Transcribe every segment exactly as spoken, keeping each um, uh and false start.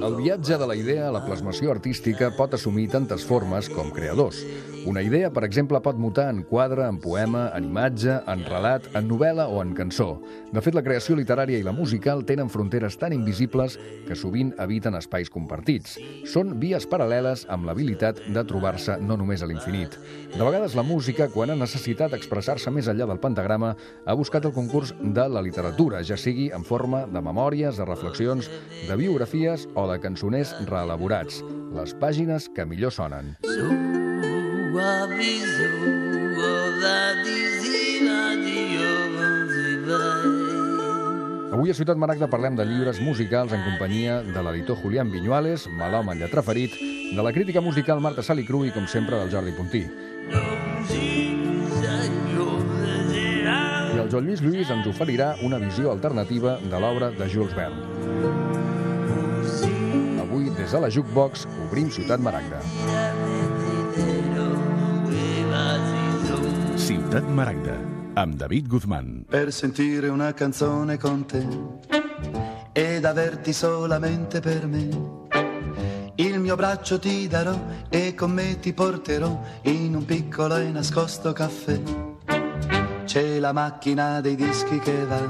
El viatge de la idea a la plasmació artística pot assumir tantes formes com creadors. Una idea, per exemple, pot mutar en quadre, en poema, en imatge, en relat, en novel·la o en cançó. De fet, la creació literària i la musical tenen fronteres tan invisibles que sovint habiten espais compartits. Són vies paral·leles amb l'habilitat de trobar-se no només a l'infinit. De vegades la música, quan ha necessitat expressar-se més enllà del pentagrama, ha buscat el concurs de la literatura, ja sigui en forma de memòries, de reflexions, de biografies o de cançoners reelaborats. Les pàgines que millor sonen. Avui a Ciutat Maragda parlem de llibres musicals en companyia de l'editor Julián Viñuales, malhome en lletra ferit, de la crítica musical Marta Salicru i, com sempre, del Jordi Puntí. I el Joan Lluís Lluís ens oferirà una visió alternativa de l'obra de Jules Verne. Avui, des de la Jukebox, obrim Ciutat Maragda. Ciutat Maragda, amb David Guzmán. Per sentire una canzone con te ed averti solamente per me. Il mio braccio ti darò e con me ti porterò in un piccolo e nascosto caffè. C'è la macchina dei dischi che va,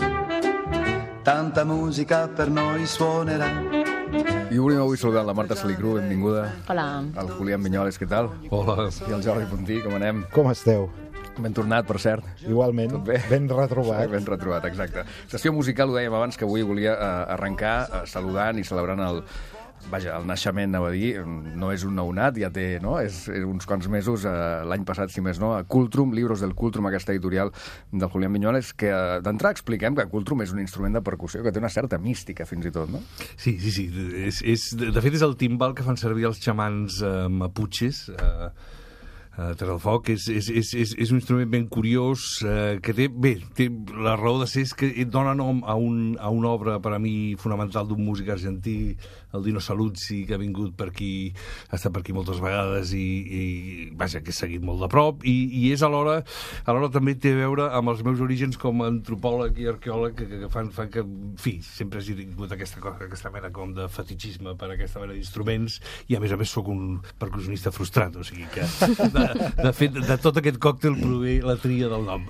tanta musica per noi suonerà. I obrim avui saludant la Marta Salicru, benvinguda. Hola. El Julián Viñuales, què tal? Hola. I el Jordi Puntí, com anem? Com esteu? Ben tornat, per cert. Igualment, bé? ben retrobat. Ben retrobat, exacte. Sessió musical, ho dèiem abans, que avui volia eh, arrencar eh, saludant i celebrant el, vaja, el naixement, anava a dir, no és un nounat, ja té, no?, és, és uns quants mesos, eh, l'any passat, si més no, a Cultrum, Libros del Cultrum, aquesta editorial del Julián Viñuales, que eh, d'entrada expliquem que Cultrum és un instrument de percussió que té una certa mística, fins i tot, no? Sí, sí, sí. És, és, de fet, és el timbal que fan servir els xamans eh, maputxes, eh, Uh, Terra del Foc. És, és, és, és, és un instrument ben curiós uh, que té, bé, té la raó de ser és que dona nom a, un, a una obra per a mi fonamental d'un músic argentí, el Dino Saluzzi, que ha vingut per aquí, ha estat per aquí moltes vegades i, i vaja, que he seguit molt de prop i, i és alhora, alhora també té a veure amb els meus orígens com a antropòleg i arqueòleg que, que fan, fan que, en fi, sempre hagi tingut aquesta, cosa, aquesta mena com de fetichisme per aquesta mena d'instruments i a més a més sóc un percussionista frustrat, o sigui que de, de fet, de tot aquest còctel prové la tria del nom.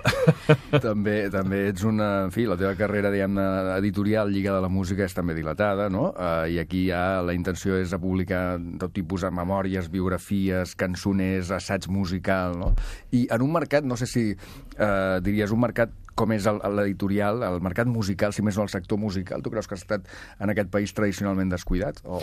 També, també ets una... En fi, la teva carrera, diguem-ne, editorial lligada a la música és també dilatada, no? Uh, I aquí ja la intenció és a publicar tot tipus de memòries, biografies, cançoners, assaig musical, no? I en un mercat, no sé si uh, diries un mercat com és l'editorial, el mercat musical, si més no el sector musical, tu creus que ha estat en aquest país tradicionalment descuidat? O...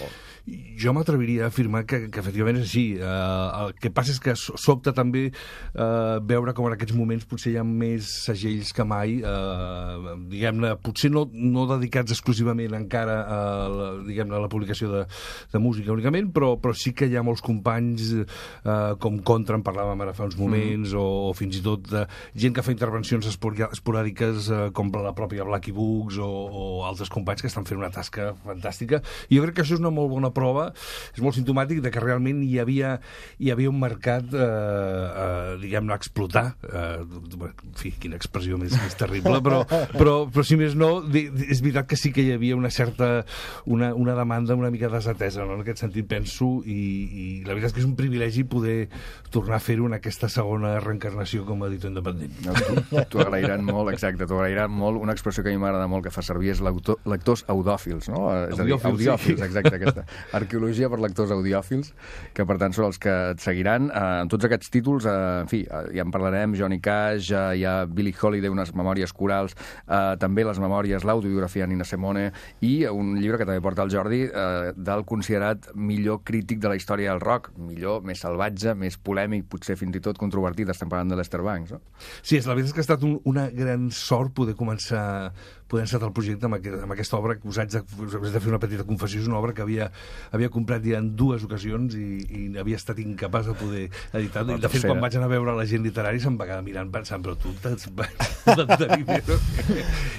Jo m'atreviria a afirmar que, que efectivament és així. Uh, el que passa és que sobta també uh, veure com en aquests moments potser hi ha més segells que mai, uh, diguem-ne, potser no, no dedicats exclusivament encara a la, diguem-ne, a la publicació de, de música únicament, però, però sí que hi ha molts companys uh, com Contra, en parlàvem ara fa uns moments, mm. o, o fins i tot uh, gent que fa intervencions esporàdiques esporàdiques eh, com la pròpia Blacky Books o, o altres companys que estan fent una tasca fantàstica. I jo crec que això és una molt bona prova, és molt simptomàtic de que realment hi havia, hi havia un mercat, eh, eh, diguem-ne, a explotar. Eh, en fi, quina expressió més, més terrible, però, però, però si més no, és veritat que sí que hi havia una certa, una, una demanda una mica desatesa, no? En aquest sentit penso, i, i la veritat és que és un privilegi poder tornar a fer-ho en aquesta segona reencarnació com a editor independent. No, t'ho agrairan molt, exacte, t'ho agrairan molt. Una expressió que a mi m'agrada molt que fa servir és lectors audiòfils, no? És a dir, audiòfils, sí. Exacte, aquesta arqueologia per lectors audiòfils, que per tant són els que et seguiran. Eh, en tots aquests títols, eh, en fi, eh, ja en parlarem, Johnny Cash, eh, hi ha Billie Holiday, unes memòries corals, eh, també les memòries, l'autobiografia Nina Simone, i un llibre que també porta el Jordi, eh, del considerat millor crític de la història del rock, millor, més salvatge, més polèmic, potser fins i tot controvertit, estem parlant de Lester Bangs, no? Sí, és la veritat és que ha estat un, una gran sort poder començar poder encetar el projecte amb, aquest, amb aquesta obra que us haig de, us haig de fer una petita confessió. És una obra que havia, havia comprat ja en dues ocasions i, i havia estat incapaç de poder editar. De fet, quan vaig anar a veure la gent literària se'm va quedar mirant pensant, però tu t'has de dinero.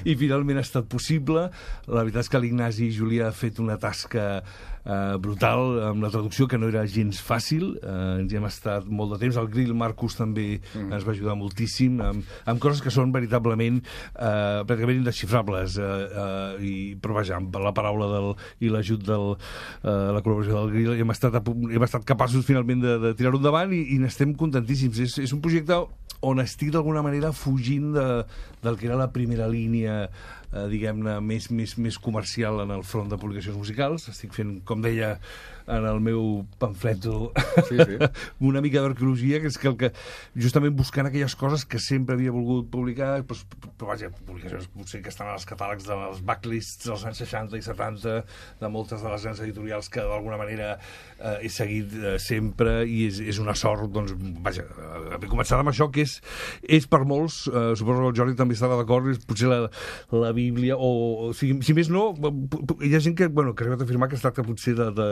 I finalment ha estat possible. La veritat és que l'Ignasi Julià ha fet una tasca eh, brutal amb la traducció, que no era gens fàcil. Eh, ens hi hem estat molt de temps. El Grill Marcus també mm. ens va ajudar moltíssim amb, amb coses que són veritablement eh, pràcticament indesxifrables. inexcusables, eh, eh, i, però vaja, amb la paraula del, i l'ajut de eh, la col·laboració del Grill hem estat, a, hem estat capaços finalment de, de tirar-ho endavant i, i n'estem contentíssims. És, és un projecte on estic d'alguna manera fugint de, del que era la primera línia, eh, diguem-ne, més, més, més comercial en el front de publicacions musicals. Estic fent, com deia en el meu pamfleto, sí, sí. una mica d'arqueologia, que és que, el que justament buscant aquelles coses que sempre havia volgut publicar, però, però vaja, publicacions potser que estan als catàlegs dels backlists dels anys seixanta i setanta, de moltes de les grans editorials que d'alguna manera eh, he seguit eh, sempre, i és, és una sort, doncs, vaja, haver començat amb això, que és, és per molts, eh, suposo que el Jordi també estava d'acord, és potser la, la Bíblia, o, o si, si més no, hi ha gent que, bueno, que ha arribat a afirmar que es tracta potser de, de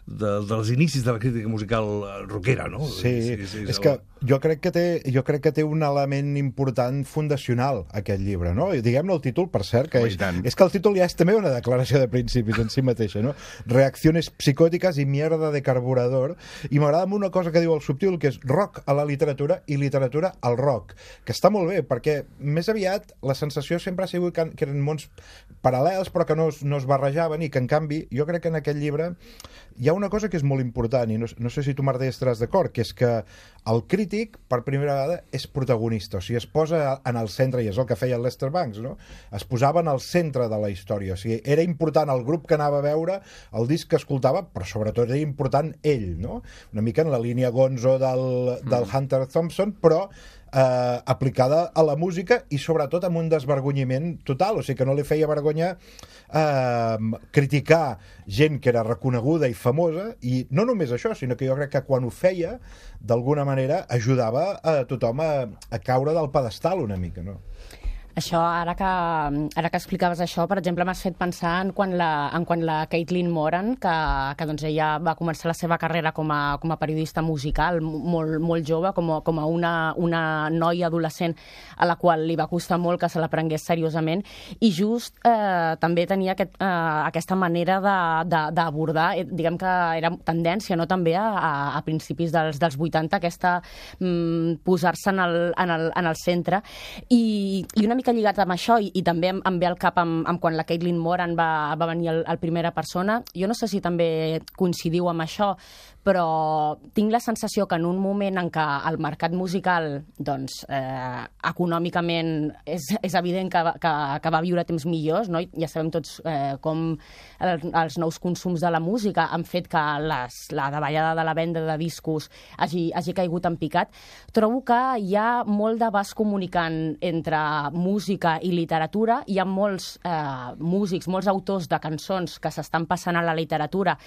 De, dels inicis de la crítica musical rockera, no? Sí, és, és, és és que jo crec que té, jo crec que té un element important fundacional, aquest llibre, no? I diguem-ne el títol, per cert, que és, és que el títol ja és també una declaració de principis en si mateixa, no? Reacciones psicòtiques i mierda de carburador, i m'agrada una cosa que diu el Subtil, que és rock a la literatura i literatura al rock, que està molt bé, perquè més aviat la sensació sempre ha sigut que, que eren mons paral·lels, però que no, no es barrejaven, i que en canvi, jo crec que en aquest llibre hi ha una cosa que és molt important, i no, no sé si tu, Martí, estaràs d'acord, que és que el crític, per primera vegada, és protagonista, o sigui, es posa en el centre, i és el que feia el Lester Bangs, no? Es posava en el centre de la història, o sigui, era important el grup que anava a veure, el disc que escoltava, però sobretot era important ell, no? Una mica en la línia Gonzo del, del Hunter Thompson, però eh, aplicada a la música, i sobretot amb un desvergonyiment total, o sigui que no li feia vergonya eh, criticar gent que era reconeguda i famosa, i no només això, sinó que jo crec que quan ho feia, d'alguna manera ajudava a tothom a, a caure del pedestal una mica, no? Això, ara que, ara que explicaves això, per exemple, m'has fet pensar en quan la, en quan la Caitlin Moran, que, que doncs ella va començar la seva carrera com a, com a periodista musical molt, molt jove, com a, com a una, una noia adolescent a la qual li va costar molt que se la prengués seriosament, i just eh, també tenia aquest, eh, aquesta manera d'abordar, eh, diguem que era tendència, no?, també a, a principis dels, dels vuitanta, aquesta mm, posar-se en, el, en, el, en el centre, i, i una mica lligat amb això, i, i també em, em ve al cap amb, amb quan la Caitlin Moran va, va venir al, al Primera Persona. Jo no sé si també coincidiu amb això, però tinc la sensació que en un moment en què el mercat musical, doncs, eh, econòmicament és, és evident que, que, que va viure temps millors, no? Ja sabem tots eh, com el, els nous consums de la música han fet que les, la davallada de la venda de discos hagi, hagi caigut en picat. Trobo que hi ha molt de vas comunicant entre música i literatura. Hi ha molts eh, músics, molts autors de cançons que s'estan passant a la literatura,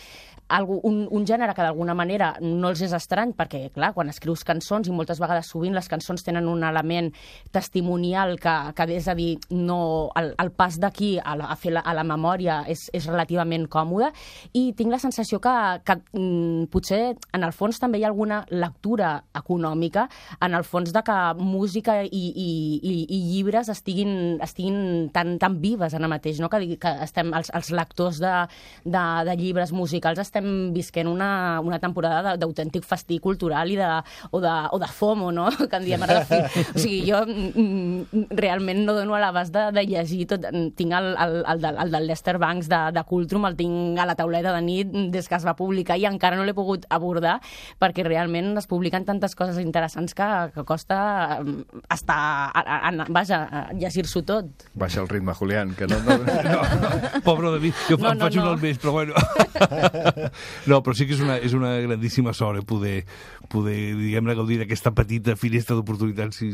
algo, un, un gènere que d'alguna manera no els és estrany, perquè, clar, quan escrius cançons, i moltes vegades sovint les cançons tenen un element testimonial que, que és a dir, no, el, el pas d'aquí a, la, a fer la, a la memòria és, és relativament còmode, i tinc la sensació que, que mm, potser en el fons també hi ha alguna lectura econòmica, en el fons de que música i, i, i, i llibres estiguin, estiguin tan, tan vives ara mateix, no? que, que estem, els, els lectors de, de, de llibres musicals estem visquent una, una temporada d'autèntic festí cultural i de, o, de, o de FOMO, no?, que en diem ara de fi. O sigui, jo mm, realment no dono a l'abast de, de llegir tot. Tinc el, el, el, del, el del Lester Bangs de, de Cultrum, el tinc a la tauleta de nit des que es va publicar, i encara no l'he pogut abordar, perquè realment es publiquen tantes coses interessants que, que costa estar, a, a, a, vaja, llegir-s'ho tot. Baixa el ritme, Julián, que no... no, no. Pobre de mi, jo no, em no, faig no. un al mes, però bueno... No, però sí que és una, és una grandíssima sort, eh, poder, poder diguem-ne, gaudir d'aquesta petita finestra d'oportunitats, i,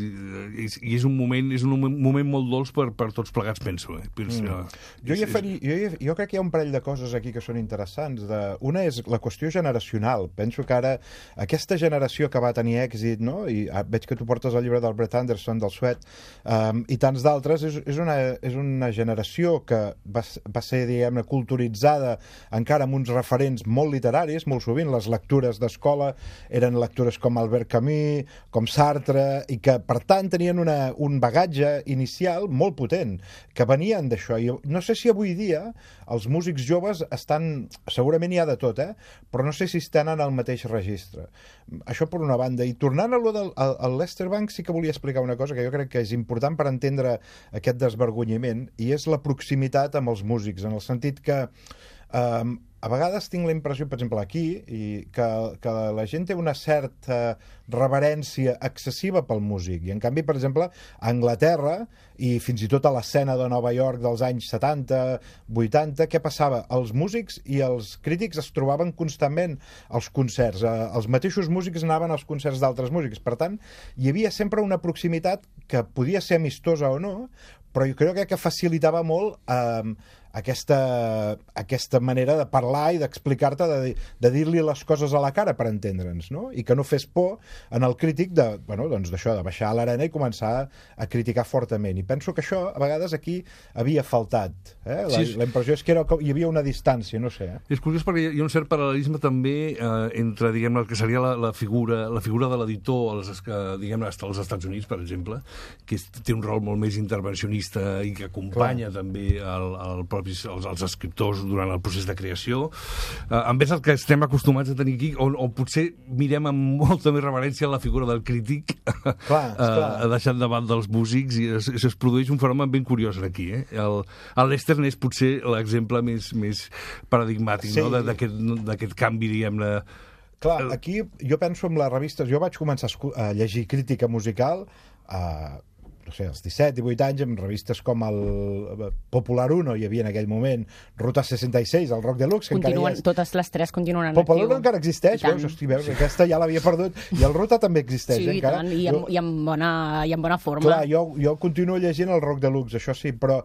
i, i és un moment és un moment molt dolç per, per tots plegats, penso. Eh? penso mm. jo, hi faria, jo, hi, jo crec que hi ha un parell de coses aquí que són interessants. De, una és la qüestió generacional. Penso que ara aquesta generació que va tenir èxit, no? I ah, veig que tu portes el llibre del Brett Anderson, del Sweat, um, i tants d'altres, és, és, una, és una generació que va, va ser, diguem-ne, culturitzada encara amb uns referents molt literaris, molt sovint les lectures d'escola eren lectures com Albert Camus, com Sartre, i que, per tant, tenien una, un bagatge inicial molt potent, que venien d'això. I no sé si avui dia els músics joves estan... Segurament hi ha de tot, eh? Però no sé si estan en el mateix registre. Això per una banda. I tornant a lo del al Lester Bangs, sí que volia explicar una cosa que jo crec que és important per entendre aquest desvergonyiment, i és la proximitat amb els músics, en el sentit que eh, a vegades tinc la impressió, per exemple, aquí, i que, que la gent té una certa reverència excessiva pel músic, i en canvi, per exemple, a Anglaterra, i fins i tot a l'escena de Nova York dels anys setanta, vuitanta, què passava? Els músics i els crítics es trobaven constantment als concerts. Els mateixos músics anaven als concerts d'altres músics. Per tant, hi havia sempre una proximitat que podia ser amistosa o no, però jo crec que facilitava molt eh, aquesta, aquesta manera de parlar i d'explicar-te, de, de dir-li les coses a la cara per entendre'ns, no? I que no fes por en el crític de, bueno, doncs d'això, de baixar a l'arena i començar a criticar fortament. I penso que això, a vegades, aquí havia faltat. Eh? La, sí, la impressió és que era, hi havia una distància, no sé. Eh? És curiós perquè hi ha un cert paral·lelisme també eh, entre, diguem-ne, el que seria la, la figura la figura de l'editor als, diguem-ne, als Estats Units, per exemple, que és, té un rol molt més intervencionista i que acompanya Clar. també el, el propi Els, els escriptors durant el procés de creació, eh, en vez del que estem acostumats a tenir aquí, o, o potser mirem amb molta més reverència la figura del crític, clar, eh, deixant davant dels músics, i es, es produeix un fenomen ben curiós aquí. Eh? El, el Lester és potser l'exemple més, més paradigmàtic, sí. no? d'aquest canvi, diguem-ne. Clar, aquí jo penso en les revistes, jo vaig començar a llegir crítica musical a eh, no sé, als disset, divuit anys, amb revistes com el Popular Uno, hi havia en aquell moment Ruta seixanta-sis, el Rock Deluxe, que Continuen, encara hi és... Totes les tres continuen en Popular actiu. Uno encara existeix, veus? Hosti, veus? Aquesta ja l'havia perdut. I el Ruta també existeix, sí, eh, encara. Sí, i, en, i, en bona, i en bona forma. Clar, jo, jo continuo llegint el Rock Deluxe, això sí, però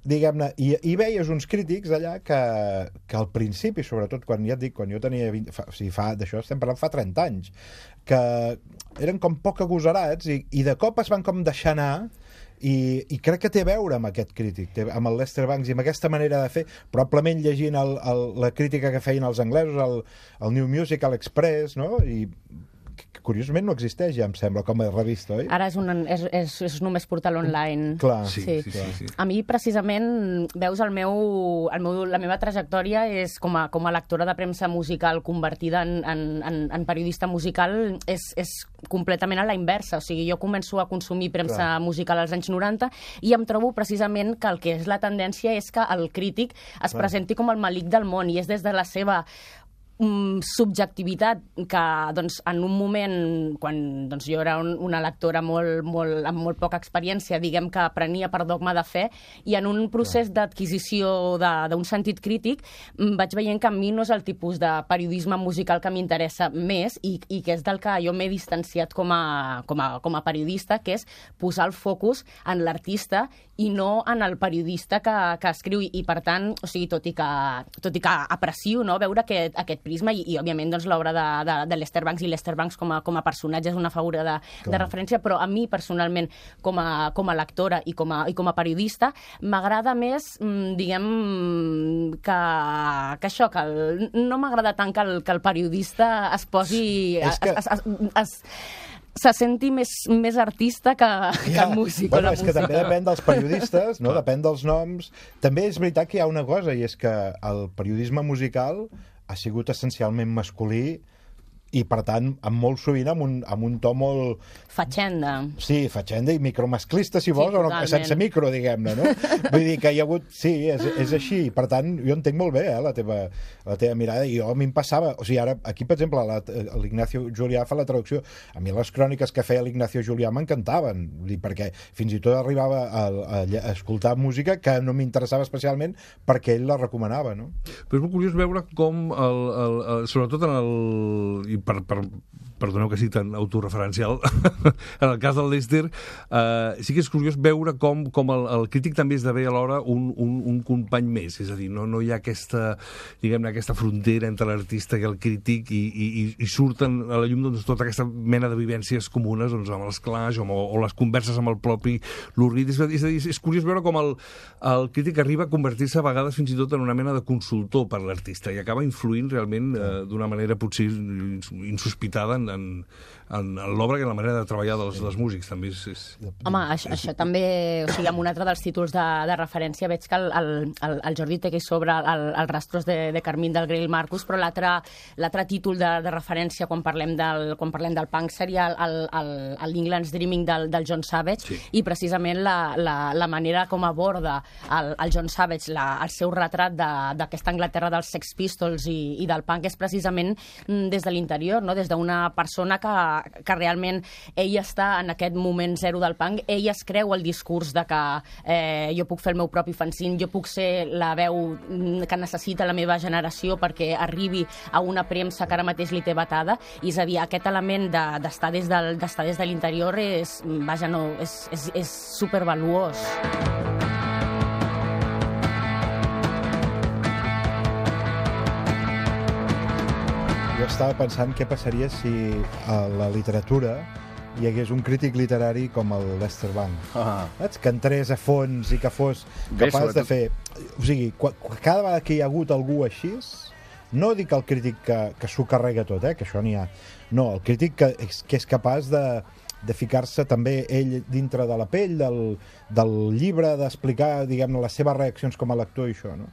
diguem-ne, i, i veies uns crítics allà que, que al principi, sobretot quan ja et dic, quan jo tenia vint, fa, o sigui, fa, d'això estem parlant fa trenta anys, que eren com poc agosarats i, i de cop es van com deixar anar. I, i crec que té a veure amb aquest crític, té, amb el Lester Bangs i amb aquesta manera de fer, probablement llegint el, el, la crítica que feien els anglesos, el, el New Musical Express, no? I que curiosament no existeix, ja em sembla, com a revista, oi? Ara és, un, és, és, és només portal online. Clar. Sí, sí, sí, sí, sí. A mi, precisament, veus, el meu, el meu, la meva trajectòria és com a, com a lectora de premsa musical convertida en, en, en, en periodista musical, és, és completament a la inversa. O sigui, jo començo a consumir premsa Clar. musical als anys noranta i em trobo precisament que el que és la tendència és que el crític es Clar. presenti com el malic del món, i és des de la seva subjectivitat que doncs, en un moment, quan doncs, jo era un, una lectora molt, molt, amb molt poca experiència, diguem que prenia per dogma de fe, i en un procés d'adquisició d'un sentit crític vaig veient que a mi no és el tipus de periodisme musical que m'interessa més, i, i que és del que jo m'he distanciat com a, com, a, com a periodista, que és posar el focus en l'artista i no en el periodista que, que escriu, i, i per tant, o sigui, tot i que, tot i que aprecio, no, veure aquest, aquest prisma, i, i òbviament doncs, l'obra de, de, de Lester Bangs, i Lester Bangs com a, com a personatge és una figura de, de referència, però a mi personalment com a, com a lectora i com a, i com a periodista m'agrada més, diguem, que, que això, que el, no m'agrada tant que el, que el periodista es posi... Es, que... es, es, es, es, se senti més, més artista que, que ja. el músic. Bueno, o la és música. que també depèn dels periodistes, no? Depèn dels noms. També és veritat que hi ha una cosa, i és que el periodisme musical ha sigut essencialment masculí, i per tant, amb molt sovint amb un, amb un to molt... Fatxenda. Sí, fatxenda i micromasclista, si vols, sí, o no, sense micro, diguem-ne, no? Vull dir que hi ha hagut... Sí, és, és així, per tant, jo entenc molt bé eh, la, teva, la teva mirada, i jo a mi em passava... O sigui, ara, aquí, per exemple, l'Ignacio Julià fa la traducció. A mi les cròniques que feia l'Ignacio Julià m'encantaven, perquè fins i tot arribava a, a, a escoltar música que no m'interessava especialment perquè ell la recomanava, no? Però és molt curiós veure com, el, el, el, sobretot en el... per, per, perdoneu que sigui tan autorreferencial, en el cas del Lester, eh, sí que és curiós veure com, com el, el crític també esdevé alhora un, un, un company més, és a dir, no, no hi ha aquesta, diguem-ne, aquesta frontera entre l'artista i el crític i, i, i surten a la llum doncs, tota aquesta mena de vivències comunes doncs, amb els clash o, o les converses amb el propi Lou Reed. És a dir, és curiós veure com el, el crític arriba a convertir-se a vegades fins i tot en una mena de consultor per l'artista i acaba influint realment eh, d'una manera potser insospitada en, en, en l'obra i en la manera de treballar dels, dels músics. També és, és... Home, això, això també, o sigui, amb un altre dels títols de, de referència veig que el, el, el, el Jordi té aquí sobre el, el Rastros de, de Carmín del Grail Marcus, però l'altre títol de, de referència quan parlem del, quan parlem del punk seria l'England's Dreaming del, del John Savage, sí. I precisament la, la, la manera com aborda el, el John Savage la, el seu retrat d'aquesta Anglaterra dels Sex Pistols i, i del punk és precisament des de l'interior, no? Des d'una persona que, que realment ell està en aquest moment zero del punk, ell es creu el discurs de que eh, jo puc fer el meu propi fanzine, jo puc ser la veu que necessita la meva generació perquè arribi a una premsa que ara mateix li té batada, i és a dir, aquest element d'estar de, des, del, d'estar des de l'interior és, vaja, no, és, és, és supervaluós. Jo estava pensant què passaria si a la literatura hi hagués un crític literari com el Lester Bangs. Ah. Saps? Que entrés a fons i que fos capaç de fer... O sigui, cada vegada que hi ha hagut algú així, no dic el crític que, que s'ho carrega tot, eh? Que això n'hi ha. No, el crític que, que és capaç de, de ficar-se també ell dintre de la pell del, del llibre, d'explicar, diguem-ne, les seves reaccions com a lector i això, no?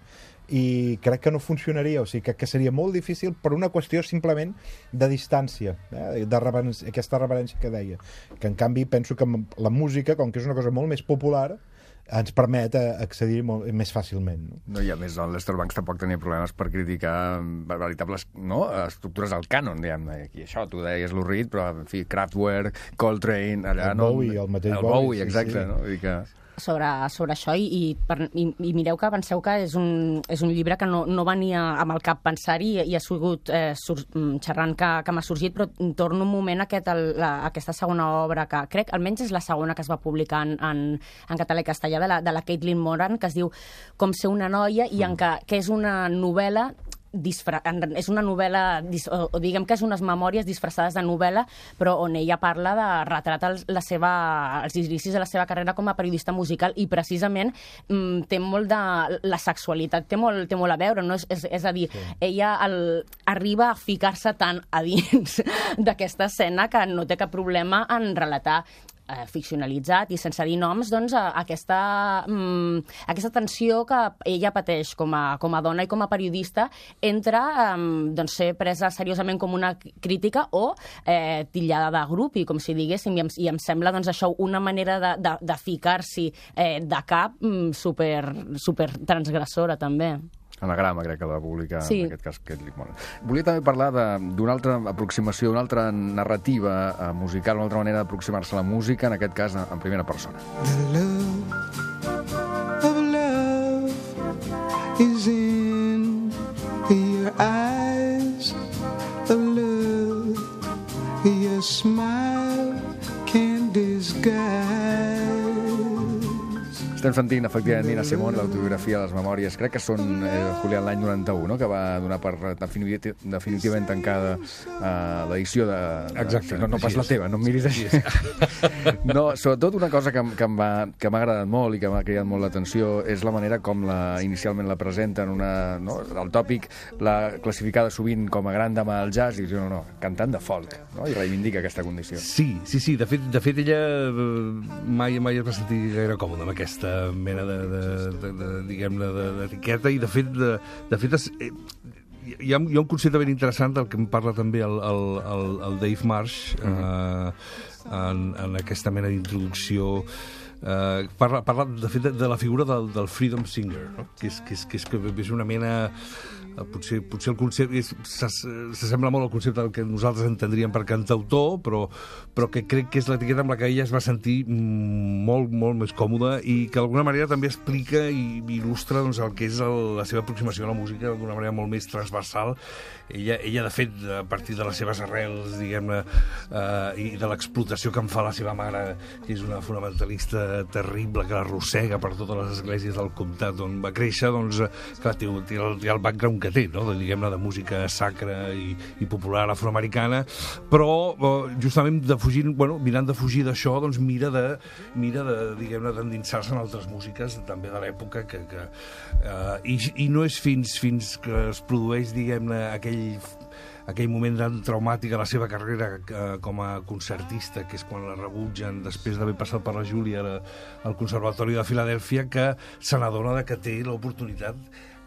I crec que no funcionaria, o sigui, que, que seria molt difícil per una qüestió simplement de distància, eh? De reverència, aquesta reverència que deia, que en canvi penso que la música, com que és una cosa molt més popular, ens permet accedir molt, més fàcilment. No? No, i a més, el Lester Bangs tampoc tenia problemes per criticar veritables, no, estructures al cànon, diguem-ne. Aquí això, tu deies Lou Reed, però, en fi, Kraftwerk, Coltrane, allà... El no, Bowie, el mateix el Bowie. Bowie, exacte, sí, sí. No? Vull dir que... sobre, sobre això i, i, per, i, i mireu que penseu que és un, és un llibre que no, no venia amb el cap pensar-hi i, i ha sigut eh, sur, xerrant que, que m'ha sorgit, però torno un moment a aquest, el, la, aquesta segona obra que crec, almenys és la segona que es va publicar en, en, en català i castellà de la, de la Caitlin Moran, que es diu Com ser una noia, i en què, que és una novel·la Disfra... és una novel·la, o, o diguem que és unes memòries disfressades de novel·la, però on ella parla de retratar el, la seva, els inicis de la seva carrera com a periodista musical, i precisament mm, té molt de... la sexualitat té molt, té molt a veure, no? És, és, és a dir, sí. Ella el, arriba a ficar-se tant a dins d'aquesta escena que no té cap problema en relatar Eh, ficcionalitzat i sense dir noms, doncs, a, a aquesta, mm, aquesta tensió que ella pateix com a, com a dona i com a periodista entre eh, doncs, ser presa seriosament com una crítica o eh, titllada de grup, i com si diguéssim, i em, i em sembla doncs, això una manera de, de, de ficar-s'hi eh, de cap mm, super, super transgressora, també. Anagrama, crec que la va publicar, sí. En aquest cas, Caitlin Moran. Volia també parlar d'una altra aproximació, d'una altra narrativa uh, musical, una altra manera d'aproximar-se a la música, en aquest cas en primera persona. The love of love is in your eyes of love, your smile can disguise. Estem sentint, efectivament, Nina Simone, l'autobiografia de les memòries. Crec que són, eh, Julián, l'any noranta-u, no?, que va donar per definitivament tancada eh, l'edició de... de... Exacte. No, no pas la teva, no em miris així. No, sobretot una cosa que, que m'ha que agradat molt i que m'ha cridat molt l'atenció és la manera com la, inicialment la presenten, una, no? El tòpic l'ha classificada sovint com a gran dama del jazz, i diu, no, no, cantant de folk, no?, i reivindica aquesta condició. Sí, sí, sí. De fet, de fet ella mai, mai es va sentir gaire còmoda amb aquesta mena de, de, de, de diguem-ne, d'etiqueta, i de fet, de, de fet es, eh, hi, ha, hi ha un concepte ben interessant del que em parla també el, el, el, el Dave Marsh, mm-hmm. eh, en, en aquesta mena d'introducció. Uh, parla, parla de fet de, de la figura del, del freedom singer, no? que, és, que, és, que, és, que és una mena potser, potser el concepte s'assembla molt al concepte del que nosaltres entendríem per cantautor, però, però que crec que és l'etiqueta amb la que ella es va sentir molt, molt més còmoda i que d'alguna manera també explica i il·lustra doncs, el que és el, la seva aproximació a la música d'alguna manera molt més transversal. Ella, ella, de fet, a partir de les seves arrels, diguem-ne, eh, i de l'explotació que en fa la seva mare, que és una fonamentalista terrible, que l'arrossega per totes les esglésies del comtat on va créixer, doncs, clar, té, té, el, té el background que té, no? De, diguem-ne, de música sacra i, i popular afroamericana, però eh, justament de fugir, bueno, mirant de fugir d'això, doncs mira de, mira de, diguem-ne, d'endinsar-se en altres músiques, també de l'època, que, que, eh, i, i no és fins, fins que es produeix, diguem-ne, aquell aquell moment tan traumàtic a la seva carrera eh, com a concertista, que és quan la rebutgen després d'haver passat per la Júlia al Conservatori de Filadèlfia, que se n'adona que té l'oportunitat,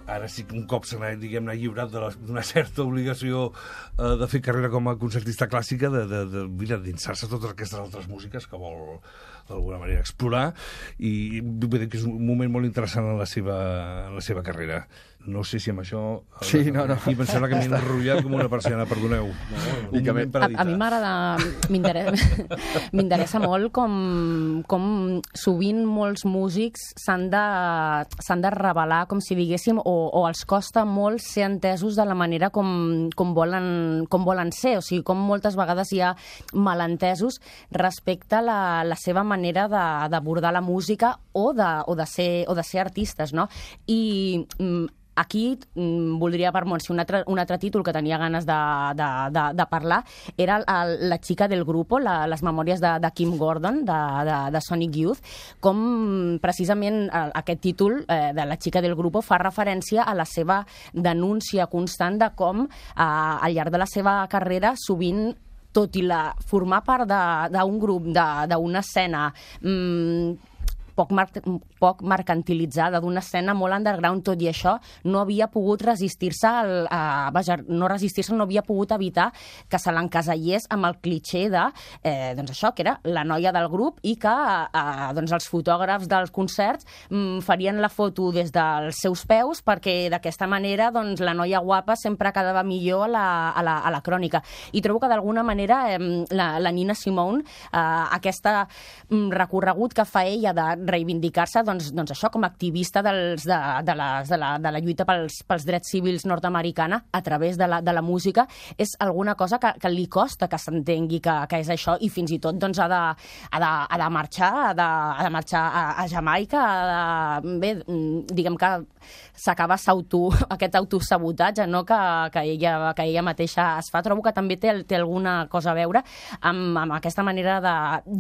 ara sí que un cop se n'ha, diguem-ne, lliurat d'una certa obligació eh, de fer carrera com a concertista clàssica, de, de, de, de dinsar-se totes aquestes altres músiques que vol d'alguna manera explorar, i vull dir que és un moment molt interessant en la seva, en la seva carrera. No sé si amb això... Sí, no, no. I em sembla que m'he enrotllat com una persiana, perdoneu. No, I que a, a mi m'agrada... M'interessa molt com, com sovint molts músics s'han de, s'han de revelar, com si diguéssim, o, o els costa molt ser entesos de la manera com, com, volen, com volen ser. O sigui, com moltes vegades hi ha malentesos respecte a la, la seva manera d'abordar la música o de, o de, ser, o de ser artistes, no? I... Aquí mm, voldria, per si un altre, un altre títol que tenia ganes de, de, de, de parlar era el, La chica del grupo, la, les memòries de, de Kim Gordon, de, de, de Sonic Youth, com precisament aquest títol eh, de La chica del grupo fa referència a la seva denúncia constant de com eh, al llarg de la seva carrera sovint, tot i la, formar part d'un grup, d'una escena mmm, poc, mar poc mercantilitzada, d'una escena molt underground, tot i això, no havia pogut resistir-se, vaja, no resistir-se, no havia pogut evitar que se l'encasellés amb el clitxé de, eh, doncs això, que era la noia del grup i que eh, doncs els fotògrafs dels concerts mm, farien la foto des dels seus peus perquè d'aquesta manera doncs, la noia guapa sempre quedava millor a la, a la, a la crònica. I trobo que d'alguna manera eh, la, la Nina Simone, eh, aquesta mm, recorregut que fa ella de reivindicar-se, doncs, doncs això, com a activista dels, de, de, les, de, la, de la lluita pels, pels drets civils nord-americana a través de la, de la música, és alguna cosa que, que li costa que s'entengui que, que és això, i fins i tot doncs, ha, de, ha, de, ha de marxar, ha de, ha de marxar a, a Jamaica, ha de, bé, diguem que s'acaba aquest autosabotatge, no?, que, que, ella, que ella mateixa es fa. Trobo que també té, té alguna cosa a veure amb, amb aquesta manera de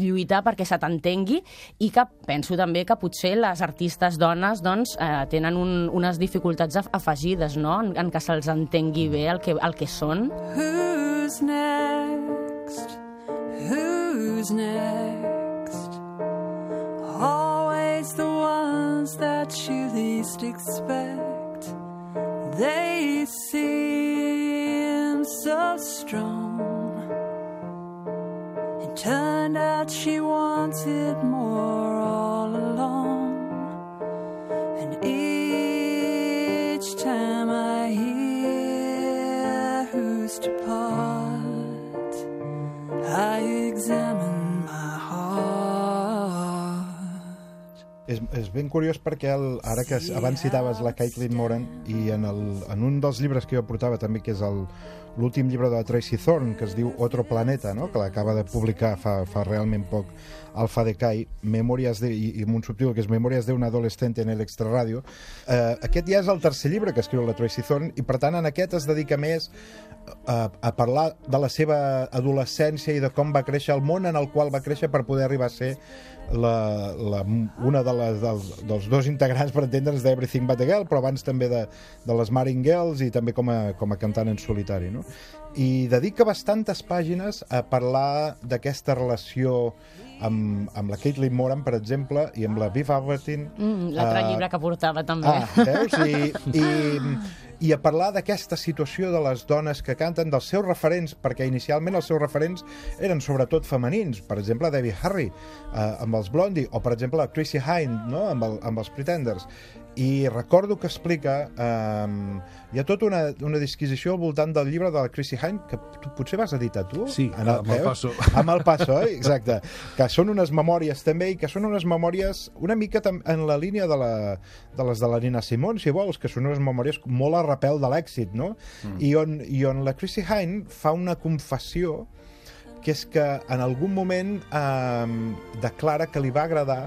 lluitar perquè se t'entengui, i que penso també que potser les artistes dones doncs, eh, tenen un, unes dificultats afegides, no?, en, en que se'ls entengui bé el que, el que són. Who's next? Who's next? Always the ones that you least expect. They seem so strong. It turned out she wanted more all along. And each time I hear who's to part, I examine my heart. És, és ben curiós perquè el, ara que abans citaves la Caitlin Moran, i en, el, en un dels llibres que jo portava també, que és el l'últim llibre de la Tracy Thorn, que es diu Otro Planeta, no?, que l'acaba de publicar fa, fa realment poc Alfa Decay, Memòries de, i, i amb un subtítul que és Memòries de un adolescente en el extrarradio. Eh, aquest ja és el tercer llibre que escriu la Tracy Thorn, i per tant en aquest es dedica més a, a parlar de la seva adolescència i de com va créixer, el món en el qual va créixer per poder arribar a ser la, la, una de les, dels, dels dos integrants, per entendre'ns, d'Everything But The Girl, però abans també de, de les Marine Girls, i també com a, com a cantant en solitari, no? I dedica bastantes pàgines a parlar d'aquesta relació amb, amb la Caitlin Moran, per exemple, i amb la Viv Albertine. Mm, L'altre uh, llibre que portava, també. Ah, veus? I, i, i a parlar d'aquesta situació de les dones que canten, dels seus referents, perquè inicialment els seus referents eren sobretot femenins. Per exemple, Debbie Harry, uh, amb els Blondie, o per exemple Chrissie Hynde, no?, amb, el, amb els Pretenders. i recordo que explica eh, hi ha tota una, una disquisició al voltant del llibre de la Chrissie Hynde, que tu potser vas editar tu? Sí, en el, amb el Paso. Amb el Paso, oi? Exacte. Que són unes memòries també, i que són unes memòries una mica en la línia de, la, de les de la Nina Simone, si vols, que són unes memòries molt a repel de l'èxit, no? Mm. I, on, I on la Chrissie Hynde fa una confessió, que és que en algun moment eh, declara que li va agradar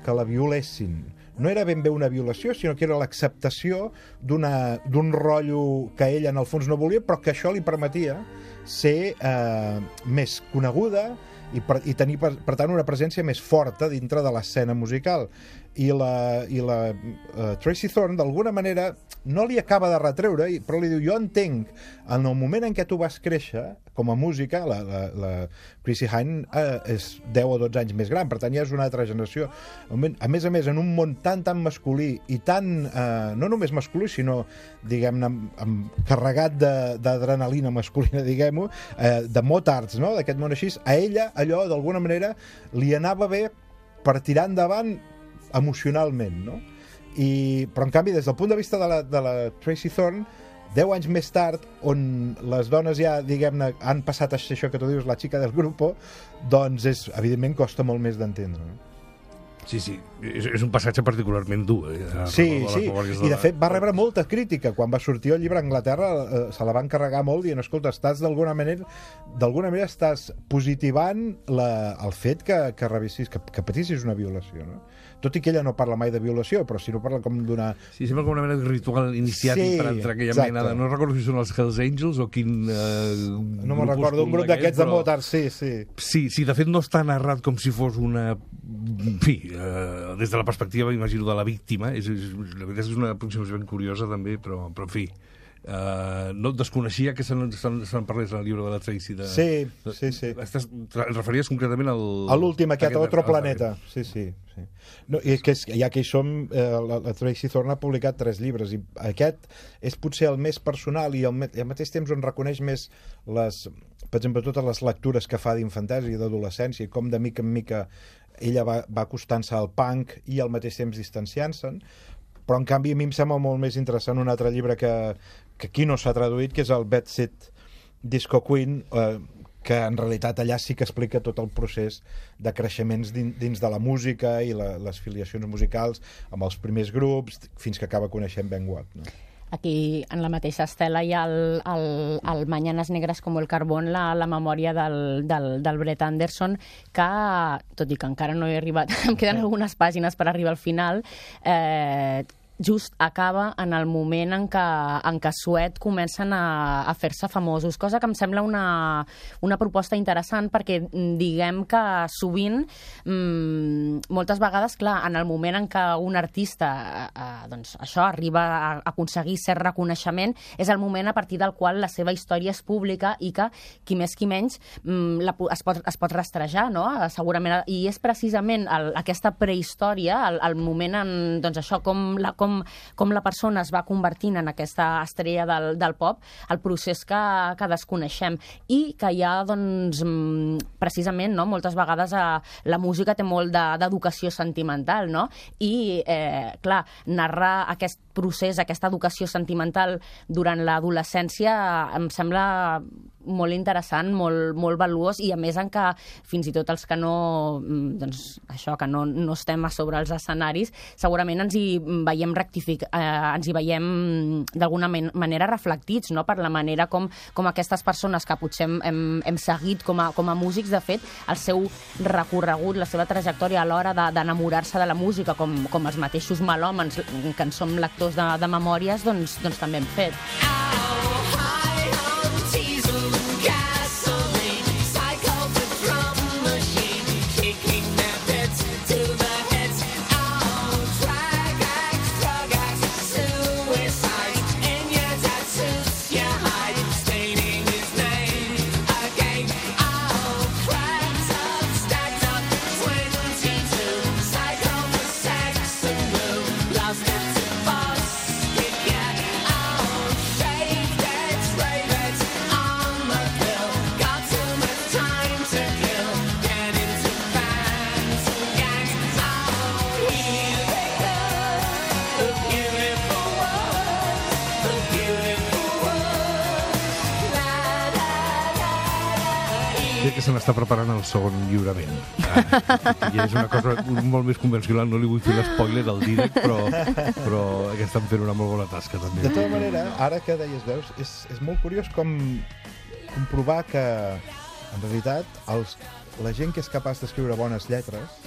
que la violessin. No era ben bé una violació, sinó que era l'acceptació d'un rotllo que ella en el fons no volia, però que això li permetia ser eh, més coneguda i, per, i tenir, per, per tant, una presència més forta dintre de l'escena musical. I la, i la uh, Tracy Thorn, d'alguna manera, no li acaba de retreure, però li diu, jo entenc, en el moment en què tu vas créixer, com a música, la, la, la Chrissie Hynde uh, és deu o dotze anys més gran, per tant ja és una altra generació. A més a més, en un món tan, tan masculí, i tan, uh, no només masculí, sinó, diguem-ne, carregat d'adrenalina masculina, diguem-ho, uh, de motards, no?, d'aquest món així, a ella, allò, d'alguna manera, li anava bé per tirar endavant emocionalment, no? I, però en canvi, des del punt de vista de la, de la Tracy Thorn, deu anys més tard, on les dones ja, diguem-ne, han passat a ser això que tu dius, la xica del grup, doncs és, evidentment costa molt més d'entendre, no? Sí, sí, és, és un passatge particularment dur. Eh? Sí, sí, i de fet va rebre molta crítica. Quan va sortir el llibre a Anglaterra eh, se la van carregar molt dient, escolta, estàs d'alguna manera d'alguna manera estàs positivant la, el fet que, que revissis, que, que patissis una violació, no? Tot i que ella no parla mai de violació, però si no parla com d'una... Sí, sembla com una mena de ritual iniciàtic sí, per entrar aquella exacte. mena de... No recordo si són els Hells Angels o quin... Eh, no me'n recordo, un grup d'aquests però... de motards, sí, sí. Sí, sí, de fet no està narrat com si fos una... En fi, eh, des de la perspectiva, imagino, de la víctima. És, és, la veritat és una aproximació ben curiosa, també, però, però en fi... Uh, no desconeixia que se'n se se parlés en el llibre de la Tracy de, sí, de, sí, sí. Estàs, et referies concretament al... A l'últim, aquest, a Otro Planeta. Sí, sí, sí. No, i és que és, ja que hi som, eh, la, la Tracy Thorn ha publicat tres llibres, i aquest és potser el més personal i al, i al mateix temps on reconeix més les, per exemple, totes les lectures que fa d'infantesa i d'adolescència, i com de mica en mica ella va, va acostant-se al punk i al mateix temps distanciant-se'n. Però en canvi a mi em sembla molt més interessant un altre llibre que, que aquí no s'ha traduït, que és el Bad Seed Disco Queen, eh, que en realitat allà sí que explica tot el procés de creixements dins, dins de la música i la, les filiacions musicals amb els primers grups, fins que acaba coneixent Ben Watt, no? Aquí, en la mateixa estela, hi ha el, el, el Mañanas Negras com el Carbón, la, la memòria del, del, del Brett Anderson, que, tot i que encara no he arribat, em queden algunes pàgines per arribar al final, eh, just acaba en el moment en què, en què Suet comencen a, a fer-se famosos, cosa que em sembla una, una proposta interessant, perquè diguem que sovint, mmm, moltes vegades, clar, en el moment en què un artista eh, doncs això arriba a aconseguir cert reconeixement, és el moment a partir del qual la seva història és pública i que, qui més qui menys, mmm, la, es, pot, es pot rastrejar, no? Segurament, i és precisament el, aquesta prehistòria, el, el moment en, doncs això, com la, com Com, com la persona es va convertint en aquesta estrella del, del pop, el procés que, que desconeixem. I que hi ha, doncs, precisament, no? Moltes vegades eh, la música té molt d'educació de, sentimental, no? I, eh, clar, narrar aquest procés, aquesta educació sentimental durant l'adolescència em sembla molt interessant, molt, molt valuós, i a més en què fins i tot els que no, doncs, això, que no, no estem a sobre els escenaris, segurament ens hi veiem rectific, eh, ens hi veiem d'alguna manera reflectits, no? Per la manera com, com aquestes persones que potser hem, hem, hem seguit com a, com a músics, de fet, el seu recorregut, la seva trajectòria a l'hora d'enamorar-se de, de la música, com, com els mateixos melòmens que en som lectors de, de memòries, doncs, doncs també hem fet. Lost it to us, you get all straight. Crec que se n'està preparant el segon lliurament. Ah, I és una cosa molt més convencional, no li vull fer l'espoiler del Dídac, però, però que estan fent una molt bona tasca, també. De tota manera, ara que deies veus, és, és molt curiós com comprovar que, en realitat, els, la gent que és capaç d'escriure bones lletres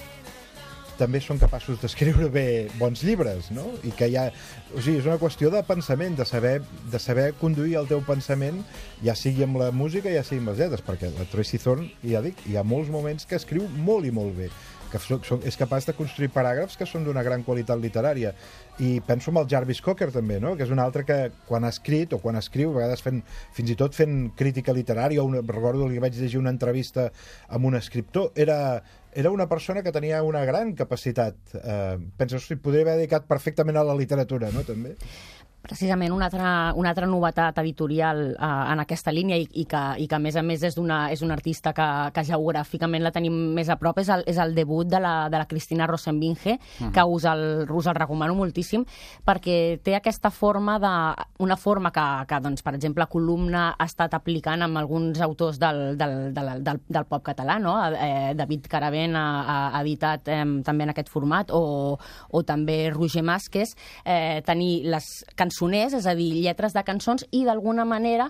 també són capaços d'escriure bé bons llibres, no? I que hi ha... O sigui, és una qüestió de pensament, de saber, de saber conduir el teu pensament, ja sigui amb la música, ja sigui amb les lletres, perquè la Tracy Thorn, ja dic, hi ha molts moments que escriu molt i molt bé, que és capaç de construir paràgrafs que són d'una gran qualitat literària. I penso en el Jarvis Cocker, també, no? Que és un altre que, quan ha escrit, o quan escriu, a vegades fent, fins i tot fent crítica literària, o una, recordo que vaig llegir una entrevista amb un escriptor, era... Era una persona que tenia una gran capacitat. Eh, penso, si podria haver dedicat perfectament a la literatura, no?, també. Precisament una altra, una altra novetat editorial eh, en aquesta línia i, i, que, i que a més a més és d'una és un artista que, que geogràficament la tenim més a prop, és el, és el debut de la, de la Cristina Rosenbinge, uh-huh. que us el, us el recomano moltíssim, perquè té aquesta forma de, una forma que, que doncs, per exemple, Columna ha estat aplicant amb alguns autors del, del, del, del, del pop català, no? Eh, David Caravent ha, ha editat eh, també en aquest format, o, o també Roger Másquez, eh, tenir les cançons cançoners, és a dir, lletres de cançons, i d'alguna manera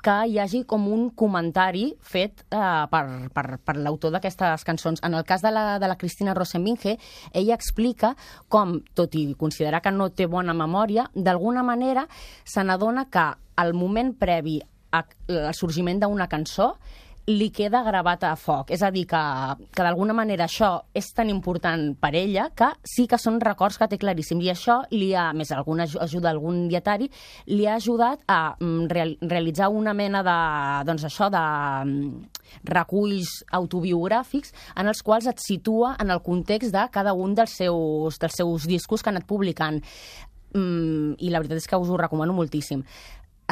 que hi hagi com un comentari fet eh, per, per, per l'autor d'aquestes cançons. En el cas de la, de la Cristina Rosenbinge, ella explica com, tot i considerar que no té bona memòria, d'alguna manera se n'adona que al moment previ al sorgiment d'una cançó li queda gravat a foc. És a dir, que, que d'alguna manera això és tan important per ella que sí que són records que té claríssim. I això li ha, més alguna ajuda, algun dietari, li ha ajudat a real, realitzar una mena de, doncs això, de reculls autobiogràfics en els quals et situa en el context de cada un dels seus, dels seus discos que ha anat publicant. Mm, I la veritat és que us ho recomano moltíssim.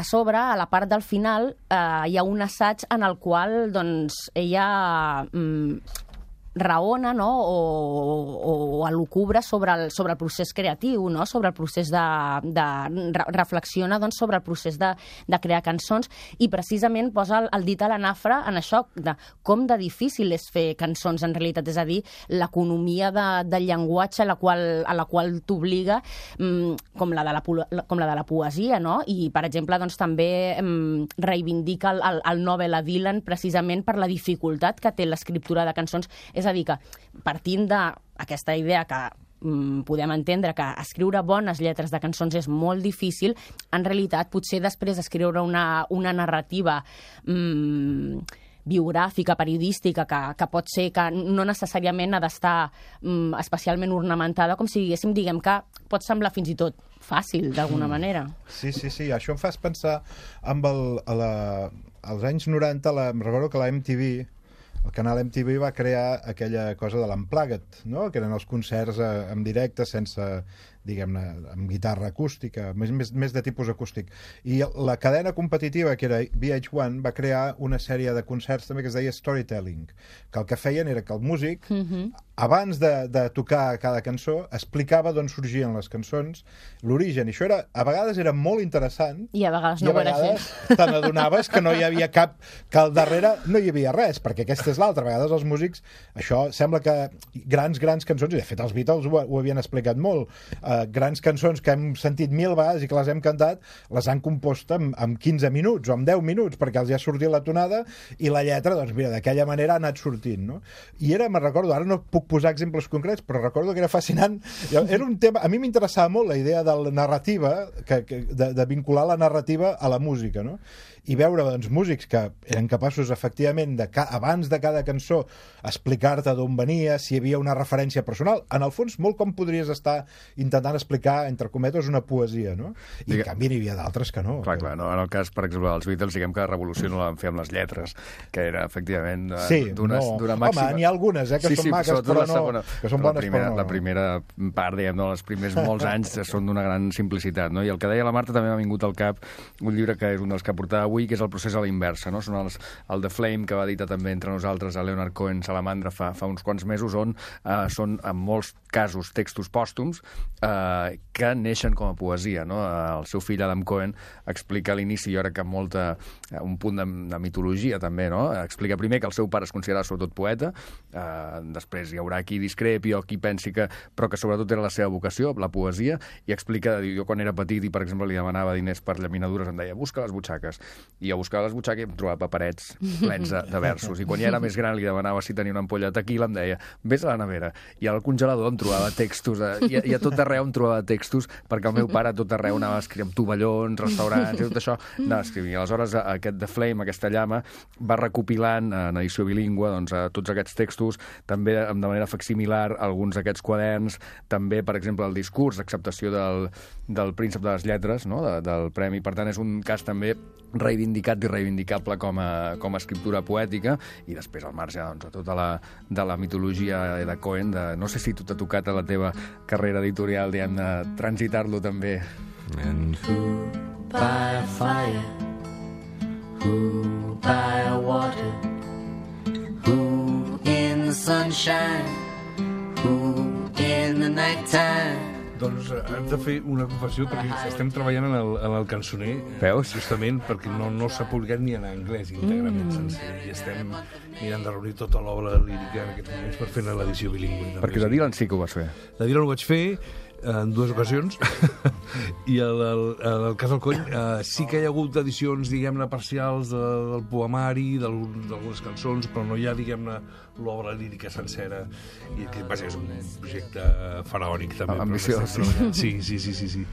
A sobre, a la part del final, eh, hi ha un assaig en el qual doncs, ella mm, raona, no? o, o, o elucubra sobre el, sobre el procés creatiu, no? Sobre el procés de... de re, reflexiona doncs, sobre el procés de, de crear cançons, i precisament posa el, el dit a la nafra en això, de com de difícil és fer cançons en realitat, és a dir, l'economia de, del llenguatge a la qual, a la qual t'obliga, mm, com, la de la, com la de la poesia, no? I, per exemple, doncs, també mm, reivindica el, el, el Nobel a Dylan precisament per la dificultat que té l'escriptura de cançons. És a dir, que partint d'aquesta idea que mm, podem entendre que escriure bones lletres de cançons és molt difícil, en realitat potser després escriure una, una narrativa mm, biogràfica, periodística, que, que pot ser que no necessàriament ha d'estar mm, especialment ornamentada, com si diguéssim, diguem que pot semblar fins i tot fàcil, d'alguna mm. manera. Sí, sí, sí. Això em fas pensar amb el, a la, als anys noranta, la, em recordo que la M T V, el canal M T V, va crear aquella cosa de l'Unplugged, no? Que eren els concerts eh, en directe, sense, diguem-ne, amb guitarra acústica, més, més, més de tipus acústic. I la cadena competitiva, que era V H un, va crear una sèrie de concerts també que es deia Storytelling, que el que feien era que el músic, mm-hmm. abans de, de tocar cada cançó, explicava d'on sorgien les cançons, l'origen. I això era, a vegades era molt interessant, i a vegades no i a vegades te n'adonaves que no hi havia cap, que al darrere no hi havia res, perquè aquesta és l'altra. A vegades els músics, això sembla que grans, grans cançons, i de fet els Beatles ho, ho havien explicat molt, Uh, grans cançons que hem sentit mil vegades i que les hem cantat, les han compost en, en quinze minuts o en deu minuts, perquè els hi ha sortit la tonada, i la lletra, doncs mira, d'aquella manera ha anat sortint, no? I era, me'n recordo, ara no puc posar exemples concrets, però recordo que era fascinant. Era un tema, a mi m'interessava molt la idea de la narrativa, que, que, de, de vincular la narrativa a la música, no? I veure, doncs, músics que eren capaços, efectivament, de ca abans de cada cançó explicar-te d'on venia, si hi havia una referència personal. En el fons, molt com podries estar intentant explicar, entre cometes, una poesia, no? I, en canvi, n'hi havia d'altres que no. Clar, clar, no? En el cas, per exemple, dels Beatles, diguem que la revolució no la van fer amb les lletres, que era, efectivament, sí, d'una no. màxima... Home, n'hi ha algunes, eh, que sí, són sí, maques, però no... Segona, que són bones, primera, però no. La primera part, diguem, no, els primers molts anys són d'una gran simplicitat, no? I el que deia la Marta també m'ha vingut al cap un llibre que és un dels que portava avui, que és El procés a la inversa, no? Són els, el The Flame, que va editar també entre nosaltres a Leonard Cohen Salamandra fa, fa uns quants mesos, on eh, són, en molts casos, textos pòstums, eh, eh, que neixen com a poesia, no? El seu fill Adam Cohen explica a l'inici, jo crec que amb molta, un punt de, de mitologia també, no? Explica primer que el seu pare es considerava sobretot poeta, eh, després hi haurà qui discrepi o qui pensi que, però que sobretot era la seva vocació, la poesia, i explica, jo quan era petit i per exemple li demanava diners per llaminadures em deia busca les butxaques, i jo buscava les butxaques i em trobava paperets plens de, de versos, i quan ja era més gran li demanava si tenia una ampolla de tequila, em deia vés a la nevera, i al congelador em trobava textos, eh, i, i a tot arreu em trobava textos, perquè el meu pare a tot arreu anava a escriure amb tovallons, restaurants, i tot això anava a escriure. I aleshores aquest The Flame, aquesta llama, va recopilant en edició bilingüe doncs, tots aquests textos, també de manera facsimilar alguns d'aquests quaderns, també, per exemple, el discurs d'acceptació del, del príncep de les lletres, no? de, del premi. Per tant, és un cas també reivindicat i reivindicable com a, com a escriptura poètica, i després al marge doncs, de tota la, de la mitologia de Cohen, de, no sé si tu t'ha tocat a la teva carrera editorial, diguem, de transitar-lo també. And who by a fire, who by a water, who in the sunshine, who in the nighttime. Doncs hem de fer una confessió, perquè estem treballant en el, en el cançoner. Veus? Justament perquè no, no s'ha publicat ni en anglès íntegrament mm. sencer, i estem mirant de reunir tota l'obra lírica en aquests moments per fer l'edició bilingüe. Perquè de Dylan sí que ho vas fer. De Dylan ho vaig fer en dues ocasions, i el, el, el, el cas del Coll eh, sí que hi ha hagut edicions, diguem-ne, parcials de, del poemari, d'algunes cançons, però no hi ha, diguem-ne, l'obra lírica sencera, i que, vaja, és un projecte faraònic, també. Ambiciós. Sí, sí, sí, sí, sí.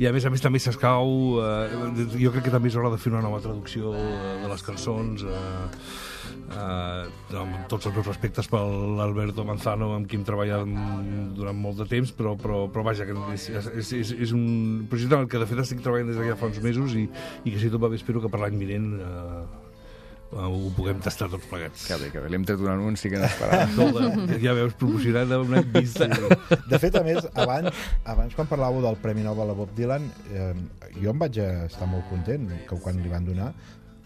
I a més a més també s'escau, eh, jo crec que també és hora de fer una nova traducció de les cançons, eh, Uh, amb tots els meus respectes per l'Alberto Manzano, amb qui hem treballat durant molt de temps, però, però, però vaja, que és, és, és, és un projecte en el que de fet estic treballant des d'aquí fa uns mesos, i, i que si tot va bé espero que per l'any vinent uh, uh, ho puguem tastar tots plegats. Que bé, que bé, li hem tret un anunci que n'esperava. Ja veus, proporcionat una vista. De fet, a més, abans, abans quan parlàveu del Premi Nobel a Bob Dylan, eh, jo em vaig estar molt content que quan li van donar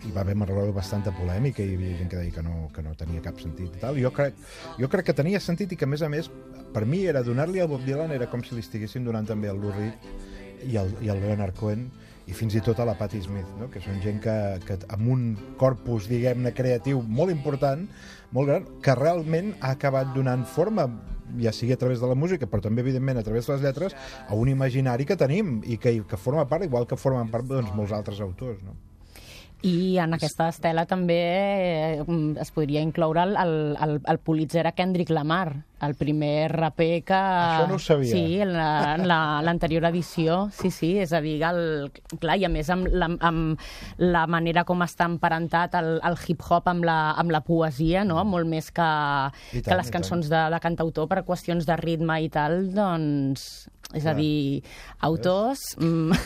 hi va haver bastanta polèmica i hi havia gent que deia que no, que no tenia cap sentit i tal. Jo crec, jo crec que tenia sentit, i que a més a més per mi era donar-li a Bob Dylan era com si li estiguessin donant també al Lou Reed i al, i al Leonard Cohen i fins i tot a la Patti Smith, no? Que són gent que, que amb un corpus, diguem-ne, creatiu molt important, molt gran, que realment ha acabat donant forma, ja sigui a través de la música, però també, evidentment, a través de les lletres, a un imaginari que tenim i que, que forma part, igual que formen part doncs, molts altres autors, no? I en aquesta estela també eh, es podria incloure el, el, el Pulitzer a Kendrick Lamar, el primer raper que... Això no ho sabia. Sí, en l'anterior edició, sí, sí, és a dir, el, clar, i a més amb la, amb la manera com està emparentat el, el hip-hop amb la, amb la poesia, no? Molt més que, tant, que les cançons de, de cantautor per qüestions de ritme i tal, doncs... És a dir, autors, mm,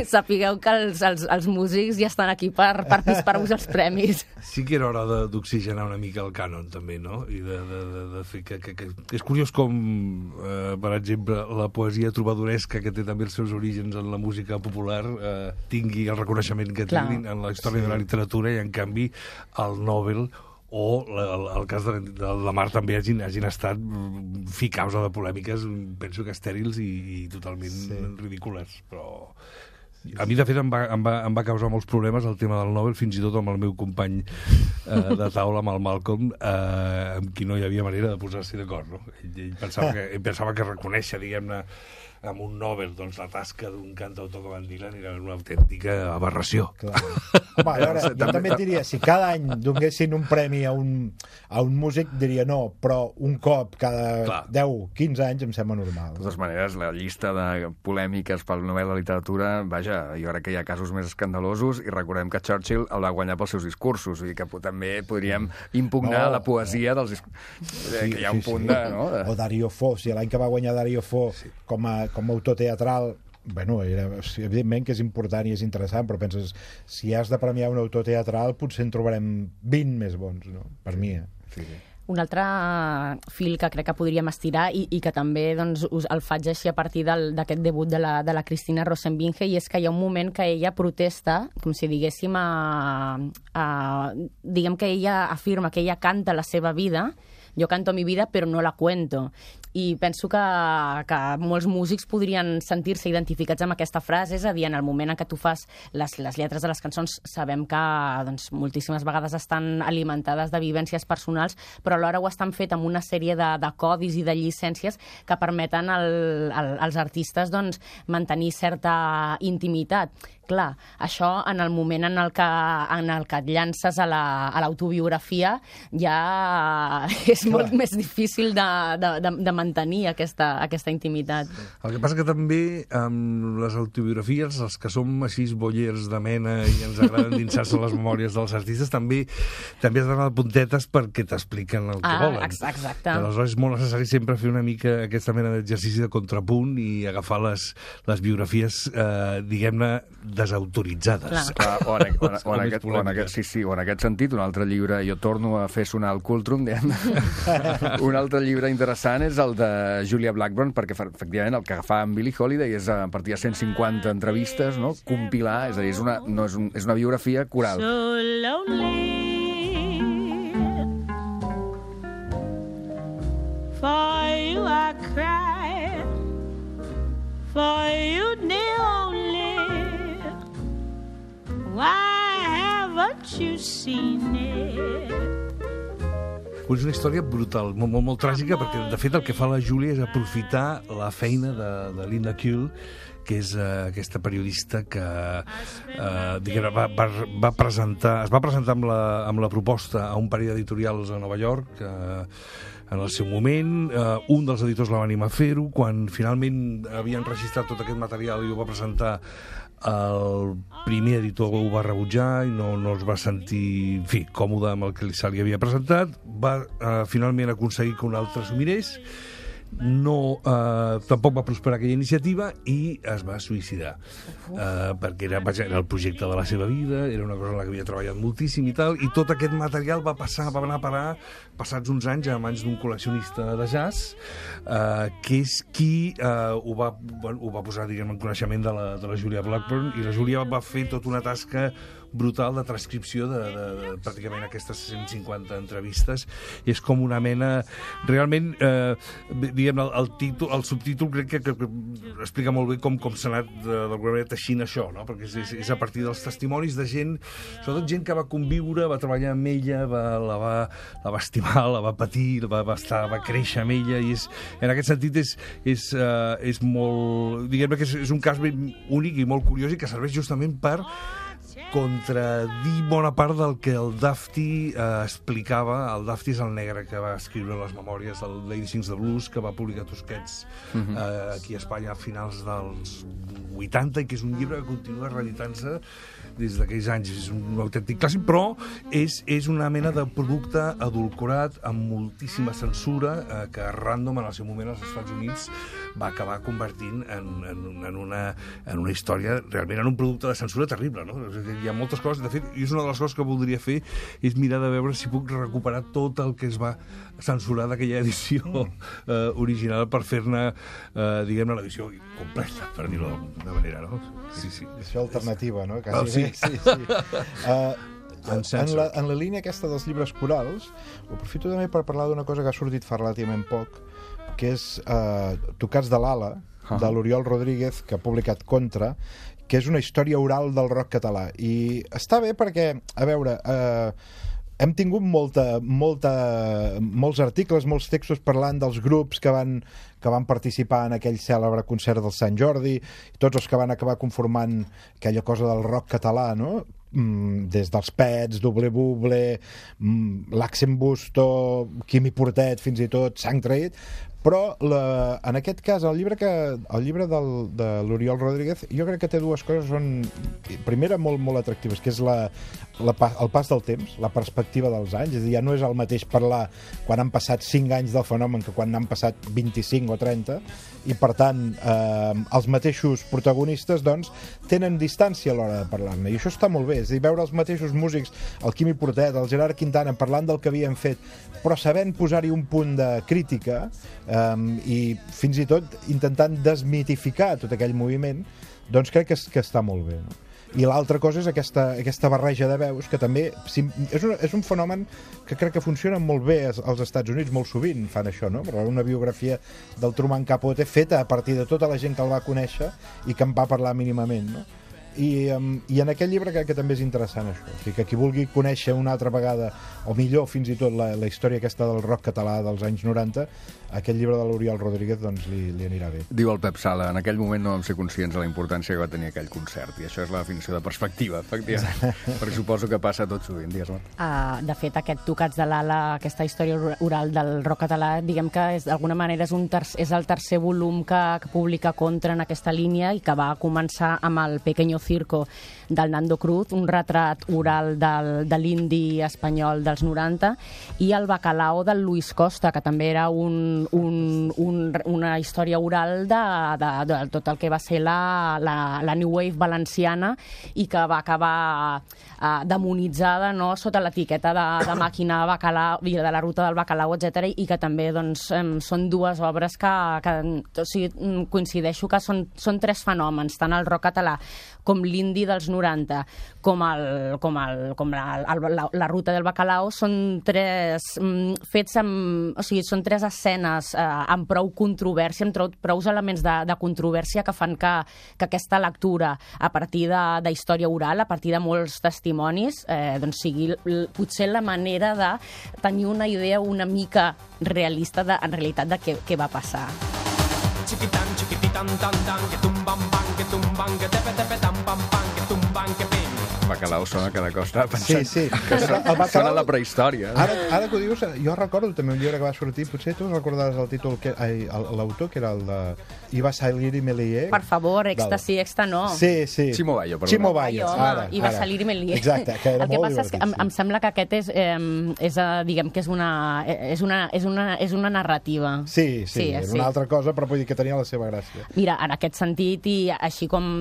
sapigueu que els, els, els músics ja estan aquí per, per disparar-vos els premis. Sí que era hora d'oxigenar una mica el cànon, també, no? I de, de, de, de fer que, que, que... És curiós com, eh, per exemple, la poesia trobadoresca, que té també els seus orígens en la música popular, eh, tingui el reconeixement que té en la història sí. de la literatura, i en canvi el Nobel o el, el cas de, de la Mar també hagin, hagin estat fi causa de polèmiques, penso que estèrils i, i totalment sí. ridícules, però a mi de fet em va, em, va, em va causar molts problemes el tema del Nobel, fins i tot amb el meu company eh, de taula, amb el Malcolm, eh, amb qui no hi havia manera de posar-s'hi d'acord, no? Ell, ell, pensava que, ell pensava que reconèixer, diguem-ne, amb un Nobel, doncs la tasca d'un cantautor com en Dylan era una autèntica aberració. Clar. Home, a veure, jo també et diria, si cada any donessin un premi a un, a un músic, diria no, però un cop cada Clar. deu, quinze anys em sembla normal. De totes maneres, la llista de polèmiques pel Nobel de Literatura, vaja, jo crec que hi ha casos més escandalosos, i recordem que Churchill el va guanyar pels seus discursos, i que també podríem impugnar no, la poesia dels discursos. Sí, que hi ha un sí, punt sí. de... No? O Dario Fo, si l'any que va guanyar Dario Fo sí. com a com a autor teatral, bueno, era, evidentment que és important i és interessant, però penses, si has de premiar un autor teatral, potser en trobarem vint més bons, no? Per mi, eh? Sí, sí. Un altre fil que crec que podríem estirar i, i que també doncs, us el faig així a partir d'aquest debut de la, de la Cristina Rosenbinge, i és que hi ha un moment que ella protesta, com si diguéssim, a, a, diguem que ella afirma que ella canta la seva vida jo canto mi vida però no la cuento. I penso que, que molts músics podrien sentir-se identificats amb aquesta frase, és a dir, en el moment en què tu fas les, les lletres de les cançons sabem que doncs, moltíssimes vegades estan alimentades de vivències personals, però alhora ho estan fet amb una sèrie de, de codis i de llicències que permeten al, al, als artistes doncs, mantenir certa intimitat. Clar, això en el moment en el que, en el que et llances a l'autobiografia la, ja és Clar. molt més difícil de, de, de, de mantenir aquesta, aquesta intimitat. El que passa que també amb les autobiografies, els que som així bollers de mena i ens agraden dinsar-se les memòries dels artistes, també també has d'anar de puntetes perquè t'expliquen el que ah, volen. Exacte. Aleshores és molt necessari sempre fer una mica aquesta mena d'exercici de contrapunt i agafar les, les biografies, eh, diguem-ne, desautoritzades. Clar, o, en, o, en, o, en aquest, o, en aquest, sí, sí, o en aquest sentit, un altre llibre, jo torno a fer sonar el Cultrum, un altre llibre interessant és el de Julia Blackburn, perquè efectivament el que fa amb Billie Holiday és a partir de cent cinquanta entrevistes, no? Compilar, és a dir, és una, no és, un, és una biografia coral. So lonely for you I cry, for you the only. Why haven't you seen it? És una història brutal, molt, molt, molt tràgica, perquè de fet el que fa la Júlia és aprofitar la feina de, de Linda Kuehl, que és uh, aquesta periodista que uh, diguem, va, va, va presentar, es va presentar amb la, amb la proposta a un parell d'editorials a Nova York, uh, en el seu moment, uh, un dels editors la va animar a fer-ho, quan finalment havien registrat tot aquest material i ho va presentar, el primer editor ho va rebutjar i no, no es va sentir, en fi, còmode amb el que se li havia presentat. Va eh, finalment aconseguir que un altre s'ho mirés, no, eh, tampoc va prosperar aquella iniciativa i es va suïcidar, eh, perquè era, vaja, era el projecte de la seva vida, era una cosa en la que havia treballat moltíssim i tal, i tot aquest material va passar, va anar a parar passats uns anys a mans d'un col·leccionista de jazz, eh, que és qui eh, ho, va, bueno, ho va posar, diguem, en coneixement de la, de la Julia Blackburn, i la Julia va fer tota una tasca brutal de transcripció de, de, de pràcticament aquestes cent cinquanta entrevistes, i és com una mena realment, eh, diguem, el, el, títol, el subtítol crec que, que, que explica molt bé com, com s'ha anat d'alguna manera teixint això, no? Perquè és, és, és a partir dels testimonis de gent, sobretot gent que va conviure, va treballar amb ella, va, la, va, la va estimar, la va patir, va, va, estar, va créixer amb ella, i és, en aquest sentit és, és, uh, és molt, diguem que és, és un cas ben únic i molt curiós i que serveix justament per contradir bona part del que el Dufty eh, explicava. El Dufty és el negre que va escriure les memòries del Lady Sings the Blues, que va publicar Tosquets uh -huh. eh, aquí a Espanya a finals dels vuitanta, i que és un llibre que continua reeditant-se des d'aquells anys. És un autèntic clàssic, però és, és una mena de producte adulcorat amb moltíssima censura eh, que Random en el seu moment als Estats Units va acabar convertint en, en, en, una, en una història, realment en un producte de censura terrible, no? Hi ha moltes coses, de fet, i és una de les coses que voldria fer, és mirar de veure si puc recuperar tot el que es va censurar d'aquella edició eh, original per fer-ne, eh, diguem-ne, l'edició completa, per dir-ho d'alguna manera, no? Sí, sí. Edició alternativa, no? Quasi. Oh, sí. Sí, sí. Uh, en, la, en la línia aquesta dels llibres corals, ho aprofito també per parlar d'una cosa que ha sortit fa relativament poc, que és uh, Tocats de l'Ala, uh-huh. de l'Oriol Rodríguez, que ha publicat Contra, que és una història oral del rock català. I està bé perquè, a veure, eh, hem tingut molta, molta, molts articles, molts textos parlant dels grups que van, que van participar en aquell cèlebre concert del Sant Jordi, tots els que van acabar conformant aquella cosa del rock català, no? Mm, des dels Pets, Doble Buble, mm, l'Axen Busto, Quimi Portet, fins i tot Sang Traït. Però la, en aquest cas el llibre, que, el llibre del, de l'Oriol Rodríguez jo crec que té dues coses, són primera molt, molt atractives, que és la, la, el pas del temps, la perspectiva dels anys. És a dir, ja no és el mateix parlar quan han passat cinc anys del fenomen que quan han passat vint-i-cinc o trenta, i per tant eh, els mateixos protagonistes doncs tenen distància a l'hora de parlar-ne, i això està molt bé. És a dir, veure els mateixos músics, el Quimi Portet, el Gerard Quintana, parlant del que havien fet, però sabent posar-hi un punt de crítica, Um, i fins i tot intentant desmitificar tot aquell moviment, doncs crec que, que està molt bé, no? I l'altra cosa és aquesta, aquesta barreja de veus, que també és un, és un fenomen que crec que funciona molt bé als Estats Units, molt sovint fan això, no? Una biografia del Truman Capote feta a partir de tota la gent que el va conèixer i que en va parlar mínimament, no? I, um, i en aquest llibre crec que també és interessant això, o sigui, que qui vulgui conèixer una altra vegada, o millor fins i tot la, la història aquesta del rock català dels anys noranta, aquest llibre de l'Oriol Rodríguez doncs li, li anirà bé. Diu el Pep Sala, en aquell moment no vam ser conscients de la importància que va tenir aquell concert, i això és la definició de perspectiva, efectivament, perquè suposo que passa tot sovint, digues-me. Uh, de fet, aquest Tocats de l'Ala, aquesta història oral del rock català, diguem que d'alguna manera és, un ter és el tercer volum que, que publica Contra en aquesta línia i que va començar amb el Pequeño Circo del Nando Cruz, un retrat oral del, de l'indi espanyol dels noranta, i el Bacalao del Luis Costa, que també era un, un, un, una història oral de, de, de tot el que va ser la, la, la New Wave valenciana i que va acabar uh, demonitzada, no?, sota l'etiqueta de, de màquina bacalao, de la ruta del bacalao, etcètera, i que també doncs, um, són dues obres que, que o sigui, coincideixo que són, són tres fenòmens, tant el rock català com l'indi dels noranta, com, el, com, el, com la, la, la ruta del bacalao, són tres mm, fets amb... O sigui, són tres escenes eh, amb prou controvèrsia, amb prou, prou elements de, de controvèrsia que fan que, que aquesta lectura, a partir de, de història oral, a partir de molts testimonis, eh, doncs sigui l, potser la manera de tenir una idea una mica realista, de, en realitat, de què, què va passar. Chiquitan, chiquititan, tan, tan, que tumban, pan, que tumban, que tepe, tepe, tan, pam, pan, que tumban, que pim. Bacalao sona cada costa pensant sí, sí. que sona, el bacalao, sona la prehistòria. Ara, ara que ho dius, jo recordo també un llibre que va sortir, potser tu recordaves el títol, l'autor, que era el de Iva Salir i Melier. Per favor, Èxtasi, Exta no. Sí, sí. Chimo Bayo, perdó. Chimo Bayo, ara. Iva Salir i Melier. Exacte, que era el que molt passa és que em, em sembla que aquest és, eh, és diguem que és una, és una, és una, és una narrativa. Sí, sí, sí, és sí. una altra cosa, però vull dir que tenia la seva gràcia. Mira, en aquest sentit, i així com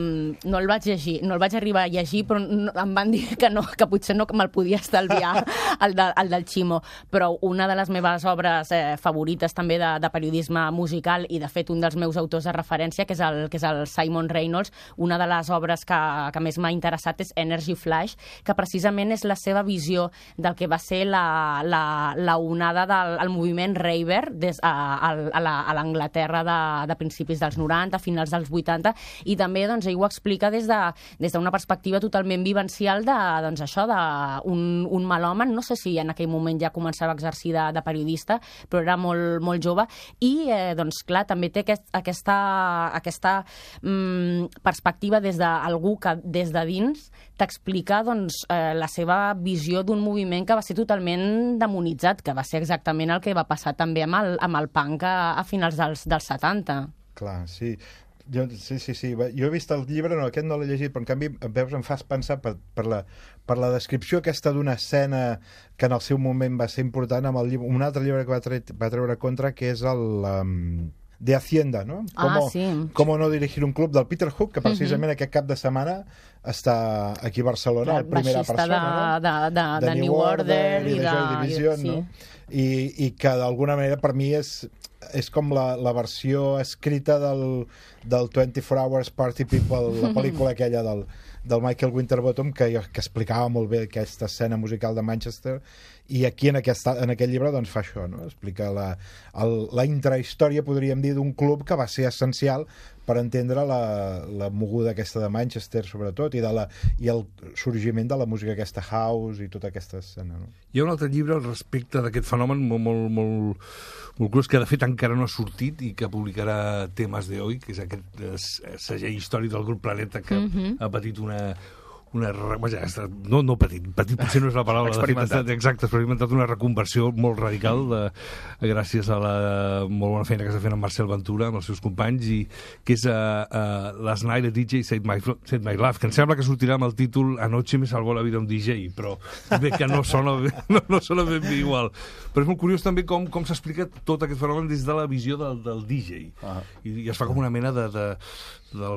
no el vaig llegir, no el vaig arribar a llegir, però no, em van dir que no, que potser no me'l podia estalviar el, de, el del Chimo, però una de les meves obres eh, favorites també de, de periodisme musical i de fet un dels meus autors de referència, que és el, que és el Simon Reynolds, una de les obres que, que més m'ha interessat és Energy Flash, que precisament és la seva visió del que va ser la, la, la onada del el moviment raver des, a, a, a l'Anglaterra de, de principis dels noranta, finals dels vuitanta, i també doncs, ell ho explica des d'una de, des perspectiva totalment vivencial de, doncs, això d'un un malòman, no sé si en aquell moment ja començava a exercir de, de periodista, però era molt, molt jove, i eh, doncs clar, també té aquest, aquesta, aquesta mm, perspectiva des d'algú que des de dins t'explica doncs, eh, la seva visió d'un moviment que va ser totalment demonitzat, que va ser exactament el que va passar també amb el, amb el punk a, a finals dels, dels setanta. Clar, sí. Jo, sí, sí, sí. Jo he vist el llibre, no, aquest no l'he llegit, però en canvi veus, em fas pensar per, per, la, per la descripció aquesta d'una escena que en el seu moment va ser important amb el llibre, un altre llibre que va, tre va treure Contra, que és el um, de Hacienda, no? Ah, Como, sí. Com no dirigir un club del Peter Hook, que precisament uh -huh. aquest cap de setmana està aquí a Barcelona, el primera persona, de, no? de, de, de, de New Order i de Joy Division, sí. no? I, i que d'alguna manera per mi és és com la, la versió escrita del, del twenty-four hours Party People, la pel·lícula aquella del, del Michael Winterbottom, que, que explicava molt bé aquesta escena musical de Manchester, i aquí en, aquesta, en aquest llibre doncs fa això, no? Explica la, el, la intrahistòria, podríem dir, d'un club que va ser essencial per entendre la, la moguda aquesta de Manchester, sobretot, i, de la, i el sorgiment de la música aquesta house i tota aquesta escena. No? Hi ha un altre llibre al respecte d'aquest fenomen molt, molt, molt, molt curiós, que de fet encara no ha sortit i que publicarà Temes de Hoy, que és aquest eh, segell històric del grup Planeta que uh -huh. ha patit una... una vaja, no, no petit, petit potser no és la paraula, experimentat. De fet, exacte, experimentat una reconversió molt radical de, gràcies a la molt bona feina que està fent en Marcel Ventura amb els seus companys, i que és uh, uh, Last Night a D J Saved My, Saved My Life, que em sembla que sortirà amb el títol Anoche me salvó la vida un D J, però bé que no sona, bé, no, no sona ben bé igual, però és molt curiós també com, com s'explica tot aquest fenomen des de la visió del, del D J, ah. I, i es fa com una mena de, de, de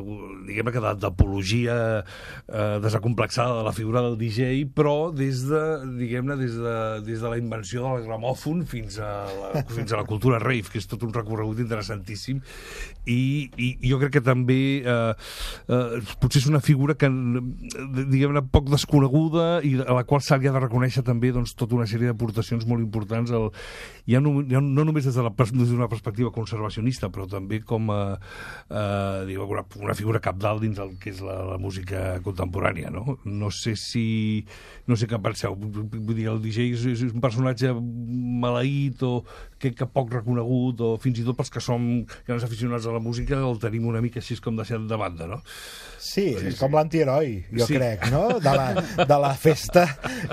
diguem-ne que d'apologia eh, ultracomplexada de la figura del D J, però des de, diguem-ne, des de, des de la invenció del gramòfon fins a la, fins a la cultura rave, que és tot un recorregut interessantíssim, i, i jo crec que també eh, eh, potser és una figura que, diguem-ne, poc desconeguda i a la qual s'ha de reconèixer també doncs, tota una sèrie d'aportacions molt importants, el, ja, no, ja no només des d'una de perspectiva conservacionista, però també com a, a diguem, una, una figura capdalt dins el que és la, la música contemporània, no? No sé si... no sé què penseu. Vull dir, el D J és, és un personatge maleït o que, que poc reconegut, o fins i tot pels que som grans aficionats a la música el tenim una mica així com deixat de banda, no? Sí, és sí, com sí. l'antiheroi, jo sí. crec, no? De la, de la festa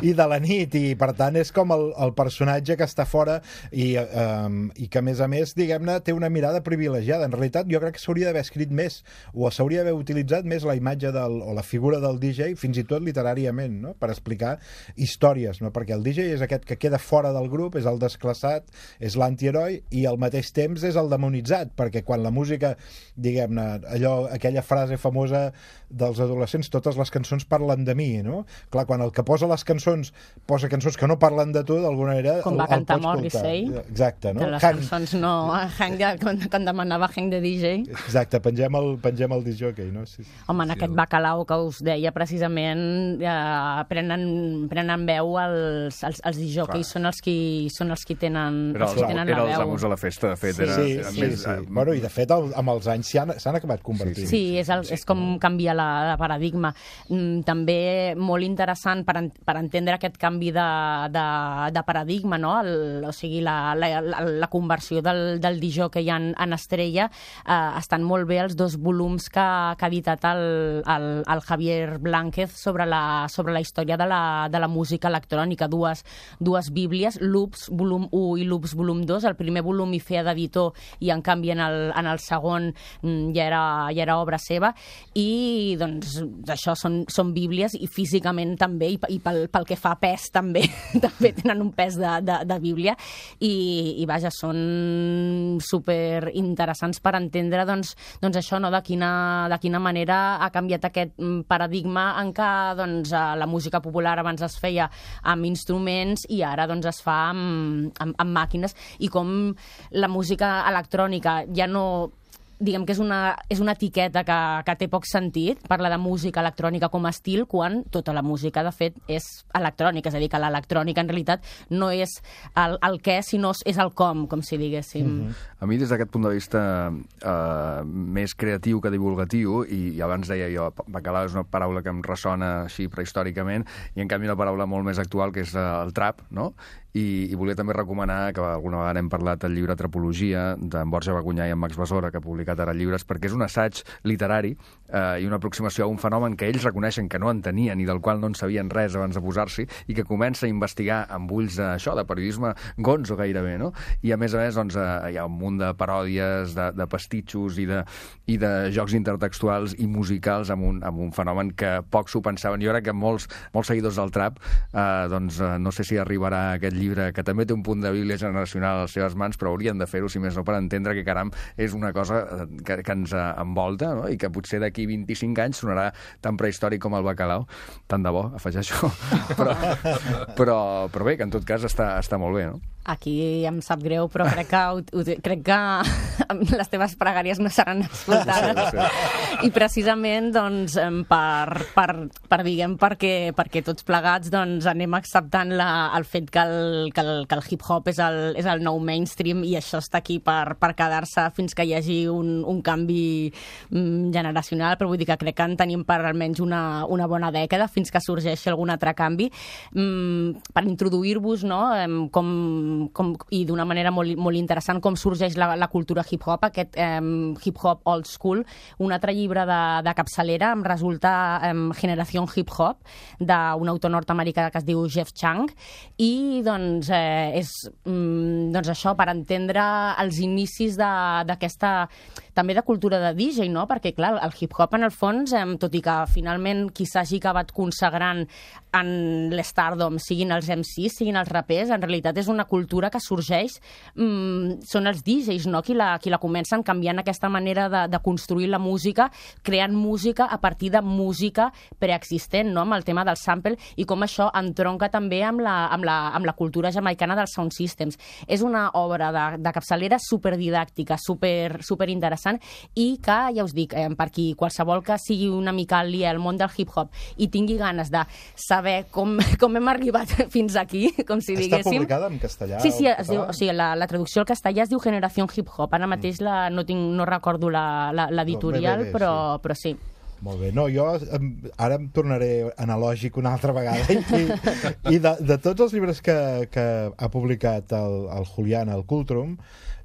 i de la nit, i per tant és com el, el personatge que està fora i, um, i que a més a més, diguem-ne, té una mirada privilegiada. En realitat jo crec que s'hauria d'haver escrit més, o s'hauria d'haver utilitzat més la imatge del, o la figura del D J, fins i tot literàriament, no? Per explicar històries, no? Perquè el D J és aquest que queda fora del grup, és el desclassat, és l'antiheroi, i al mateix temps és el demonitzat, perquè quan la música, diguem-ne, allò, aquella frase famosa dels adolescents, totes les cançons parlen de mi, no? Clar, quan el que posa les cançons posa cançons que no parlen de tu, d'alguna manera com va cantar Morrissey, exacte, no? Que les Hank... cançons no... Hank, quan, quan demanava Hank de D J. Exacte, pengem el, pengem el disc jockey, no? Sí, sí. Home, en sí, aquest el... Bacalao que us deia precisament, eh, prenen, prenen veu els, els, els disc jockeys, són els qui, són els qui tenen, era els qui tenen era la veu. Els amos de la festa, de fet. Sí, era, sí, era sí, més, sí. Bueno, i de fet el, amb els anys s'han acabat convertint. Sí, és, el, és com canvia la, la paradigma. Mm, també molt interessant per, en, per entendre aquest canvi de, de, de paradigma, no? El, o sigui, la, la, la, la conversió del, del D J que hi ha en, en Estrella, eh, estan molt bé els dos volums que, que ha editat el, el, el Javier Blánquez sobre la, sobre la història de la, de la música electrònica, dues, dues bíblies, Loops volum u i Loops volum dos. El primer volum hi feia d'editor i en canvi en el, en el segon mm, ja, era, ja era obra seva, i doncs això són, són bíblies, i físicament també, i, i pel, pel que fa a pes també també tenen un pes de, de, de bíblia, i, i vaja, són super interessants per entendre doncs, doncs això, no? de, quina, de quina manera ha canviat aquest paradigma en què doncs, la música popular abans es feia amb instruments i ara doncs, es fa amb, amb, amb màquines, i com la música electrònica ja no... diguem que és una, és una etiqueta que, que té poc sentit, parla de música electrònica com a estil, quan tota la música, de fet, és electrònica, és a dir, que l'electrònica en realitat no és el, el què, sinó és el com, com si diguéssim. Mm-hmm. A mi, des d'aquest punt de vista eh, més creatiu que divulgatiu, i, i abans deia jo, bacalao és una paraula que em ressona així prehistòricament, i en canvi una paraula molt més actual, que és el trap, no? I, i volia també recomanar, que alguna vegada hem parlat, el llibre Trapologia, d'en Borja Bagunyà i en Max Besora, que ha publicat ara llibres, perquè és un assaig literari eh, i una aproximació a un fenomen que ells reconeixen que no entenien i del qual no en sabien res abans de posar-s'hi, i que comença a investigar amb ulls d'això, de periodisme gonzo gairebé, no? I a més a més doncs, eh, hi ha un munt de paròdies, de, de pastitxos i de, i de jocs intertextuals i musicals amb un, amb un fenomen que pocs s'ho pensaven. Jo crec que molts, molts seguidors del trap eh, doncs, eh, no sé si arribarà aquest llibre, que també té un punt de bíblia generacional a les seves mans, però haurien de fer-ho, si més no, per entendre que, caram, és una cosa que, que ens envolta, no? I que potser d'aquí vint-i-cinc anys sonarà tan prehistòric com el bacalao. Tant de bo, afegeixo. Però, però, però bé, que en tot cas està, està molt bé, no? Aquí em sap greu, però crec que, crec que les teves pregàries no seran escoltades. Sí, sí. I precisament, doncs, per, per, per diguem, perquè, perquè tots plegats doncs, anem acceptant la, el fet que el, que el, que el hip-hop és el, és el nou mainstream, i això està aquí per, per quedar-se fins que hi hagi un, un canvi mm, generacional, però vull dir que crec que en tenim per almenys una, una bona dècada fins que sorgeixi algun altre canvi. Mm, per introduir-vos, no?, com Com, i d'una manera molt, molt interessant, com sorgeix la, la cultura hip-hop, aquest eh, hip-hop old school. Un altre llibre de, de capçalera em resulta eh, Generació Hip-Hop, d'un autor nord-americà que es diu Jeff Chang, i doncs eh, és mm, doncs això, per entendre els inicis d'aquesta, també de cultura de D J, no? Perquè clar, el hip-hop en el fons, eh, tot i que finalment qui s'hagi acabat consagrant en l'stardom siguin els M Cs, siguin els rapers, en realitat és una cultura cultura que sorgeix mm, són els D Js, no? Qui la, qui la comencen canviant aquesta manera de, de construir la música, creant música a partir de música preexistent, no? Amb el tema del sample, i com això entronca també amb la, amb la, amb la cultura jamaicana dels sound systems. És una obra de, de capçalera superdidàctica, super, super interessant, i que, ja us dic, eh, per qui qualsevol que sigui una mica aliè al món del hip-hop i tingui ganes de saber com, com hem arribat fins aquí, com si diguéssim... Està publicada en castellà? Sí, sí, es diu, o sigui, la, la traducció al castellà es diu Generación Hip Hop. Ara mateix la, no, tinc, no recordo l'editorial, no, però, sí. però sí. Molt bé. No, jo em, ara em tornaré analògic una altra vegada. I, i de, de tots els llibres que, que ha publicat el, el Julián al Cultrum,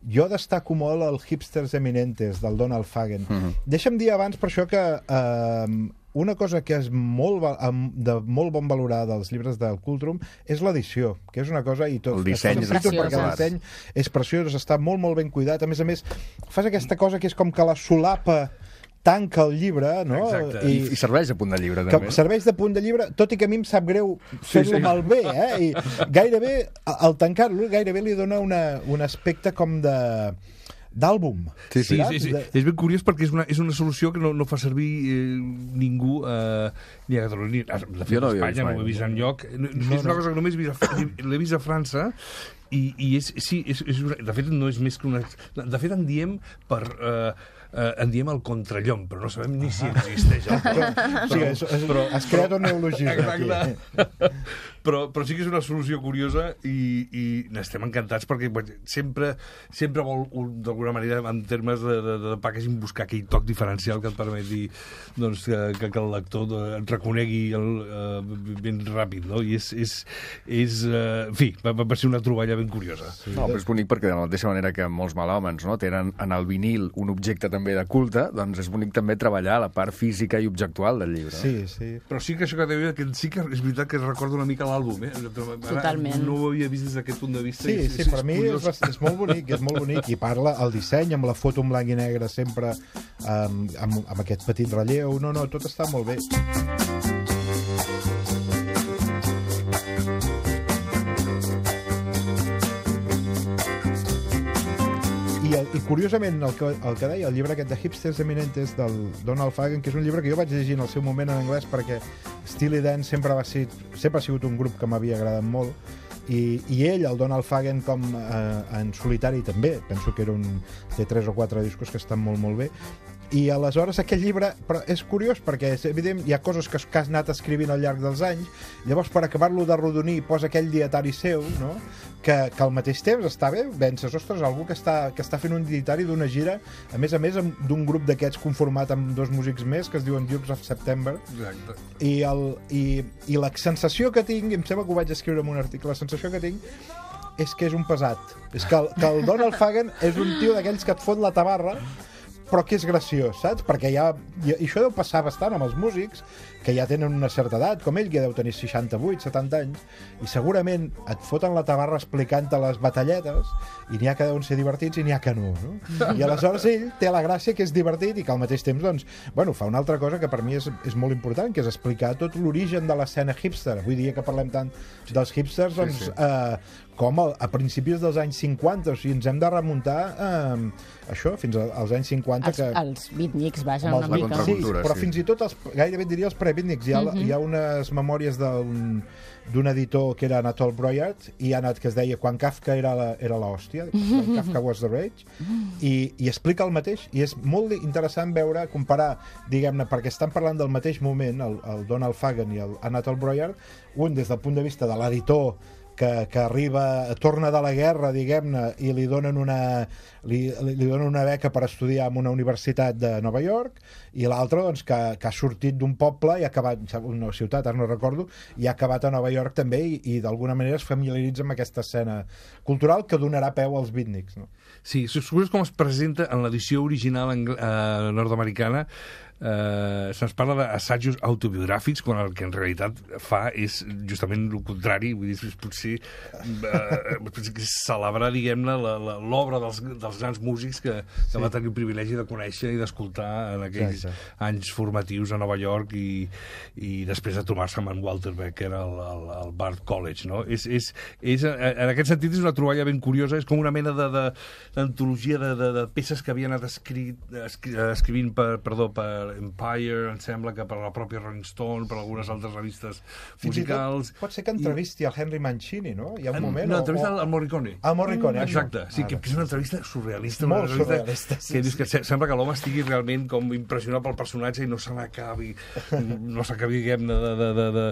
jo destaco molt el Hipsters Eminentes, del Donald Fagen. Mm-hmm. Deixa'm dir abans, per això, que eh, una cosa que és molt, de molt bon valorar dels llibres del Cultrum és l'edició, que és una cosa... I tot, el disseny és perquè el disseny és preciós, està molt, molt ben cuidat. A més a més, fas aquesta cosa que és com que la solapa tanca el llibre, no? I, I serveix de punt de llibre, també. Serveix de punt de llibre, tot i que a mi em sap greu fer-lo sí, sí. malbé, eh? I gairebé, al tancar-lo, gairebé li dona una, un aspecte com de... d'àlbum. Sí, sí, sí, sí. De... És ben curiós perquè és una, és una solució que no, no fa servir eh, ningú eh, ni a Catalunya, ni a, de fet, no a Espanya, no ho he vist enlloc. No, no, és una cosa que només l'he vist a França i, i és, sí, és, és una, de fet no és més que una... De fet en diem per... Eh, Uh, en diem el contrallom, però no sabem ni si existeix el però, sí, és, és, però, has creat un neologisme aquí. Però, però sí que és una solució curiosa i, i n'estem encantats perquè sempre, sempre vol, d'alguna manera, en termes de, de, de packaging, buscar aquell toc diferencial que et permeti doncs, que, que el lector et reconegui el, uh, ben ràpid, no? I és, és, és uh, en fi, va, va ser una troballa ben curiosa. Sí. No, però és bonic perquè de la mateixa manera que molts malhòmens, no, tenen en el vinil un objecte també de culte, doncs és bonic també treballar la part física i objectual del llibre. Sí, sí. Però sí que això que deia, que sí que és veritat que recorda una mica l'àlbum, eh? Totalment. No ho havia vist des d'aquest punt de vista. Sí, sí, per mi és, és molt bonic, és molt bonic, i parla el disseny amb la foto en blanc i negre sempre um, amb, amb aquest petit relleu, no, no, tot està molt bé. I, i curiosament, el que, el que deia el llibre aquest de Hipsters Eminentes del Donald Fagen, que és un llibre que jo vaig llegir en el seu moment en anglès perquè Steely Dan sempre, va ser, sempre ha sigut un grup que m'havia agradat molt, i, i ell, el Donald Fagen, com eh, en solitari també, penso que era un, té tres o quatre discos que estan molt, molt bé. I aleshores aquest llibre, però és curiós perquè és evident, hi ha coses que, que has anat escrivint al llarg dels anys, llavors per acabar-lo de rodonir posa aquell dietari seu, no? que, que al mateix temps està bé, penses, ostres, algú que està, que està fent un dietari d'una gira, a més a més d'un grup d'aquests conformat amb dos músics més que es diuen Dukes of September. Exacte. I, el, i, i la sensació que tinc, em sembla que ho vaig escriure en un article, la sensació que tinc és que és un pesat, és que el, que el Donald Fagen és un tio d'aquells que et fot la tabarra, però que és graciós, saps? Perquè ja, i això deu passar bastant amb els músics que ja tenen una certa edat, com ell, que deu tenir seixanta-vuit, setanta anys, i segurament et foten la tabarra explicant-te les batalletes, i n'hi ha que deuen ser divertits i n'hi ha que no, no? I aleshores ell té la gràcia que és divertit i que al mateix temps, doncs, bueno, fa una altra cosa que per mi és, és molt important, que és explicar tot l'origen de l'escena hipster. Avui dia que parlem tant dels hipsters, doncs, sí, sí. Eh, com a, a principis dels anys cinquanta, o sigui, ens hem de remuntar eh, això, fins als anys cinquanta. Els, que... els beatniks, vaja, els, una mica. Sí, però sí. Fins i tot, els, gairebé diria els pre-beatniks. Hi ha, mm-hmm. hi ha unes memòries d'un d'un editor que era Anatole Broyard, i ha anat que es deia Quan Kafka era la, era l'hòstia, When Kafka was the rage, i, i explica el mateix, i és molt interessant veure, comparar, diguem-ne, perquè estan parlant del mateix moment, el, el Donald Fagen i el Anatole Broyard, un des del punt de vista de l'editor que, que arriba, torna de la guerra, diguem-ne, i li donen una li, li donen una beca per estudiar en una universitat de Nova York, i l'altre, doncs, que, que ha sortit d'un poble i ha acabat, una ciutat, ara no recordo, i ha acabat a Nova York també, i, i d'alguna manera es familiaritza amb aquesta escena cultural que donarà peu als beatniks, no? Sí, és curiós com es presenta en l'edició original eh, nord-americana. eh, se'ns parla d'assajos autobiogràfics quan el que en realitat fa és justament el contrari, vull dir, és potser, eh, potser que celebrar, diguem-ne, l'obra dels, dels grans músics que, que sí. va tenir el privilegi de conèixer i d'escoltar en aquells Exacte. anys formatius a Nova York i, i després de trobar-se amb en Walter Becker al, al, al Bard College, no? És, és, és, en aquest sentit és una troballa ben curiosa, és com una mena d'antologia de, de, de, de peces que havia anat escrit, escri, escrivint per, perdó, per Empire, em sembla que per la pròpia Rolling Stone, per algunes altres revistes musicals. Tot, pot ser que entrevisti I... el Henry Mancini, no? Hi ha un moment... No, entrevista o... al Morricone. Al Morricone. Exacte, sí, que, que és una entrevista surrealista. Molt una entrevista surrealista, sí. Que dius que sembla que l'home estigui realment com impressionat pel personatge i no se n'acabi, no s'acabi, diguem-ne, de, de, de, de,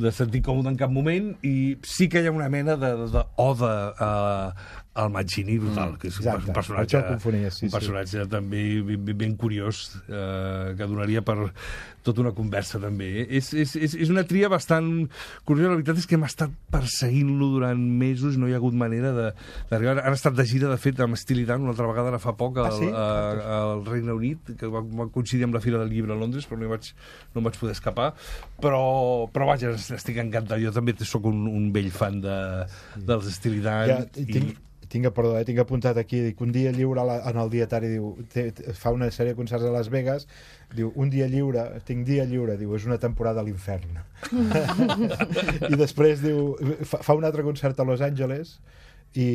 de sentir còmode en cap moment, i sí que hi ha una mena d'oda a el Mancini brutal, que és Exacte, un personatge, confonia, sí, un personatge sí. també ben, ben curiós, eh, que donaria per tota una conversa també. És, és, és, és una tria bastant curiosa, la veritat és que hem estat perseguint-lo durant mesos, no hi ha hagut manera d'arribar. Han estat de gira, de fet, amb Steely Dan, una altra vegada ara fa poc, al, ah, sí? a, al Regne Unit, que va, va coincidir amb la Fira del Llibre a Londres, però no, vaig, no em vaig poder escapar. Però, però vaja, estic encantat. Jo també sóc un, un vell fan de, dels Steely Dan. Ja, i... tinc... Tinc, perdó, eh, tinc apuntat aquí, dic, un dia lliure la, en el dietari, diu, te, te, fa una sèrie de concerts a Las Vegas, diu, un dia lliure, tinc dia lliure, diu, és una temporada a l'infern. I després, diu, fa, fa un altre concert a Los Angeles i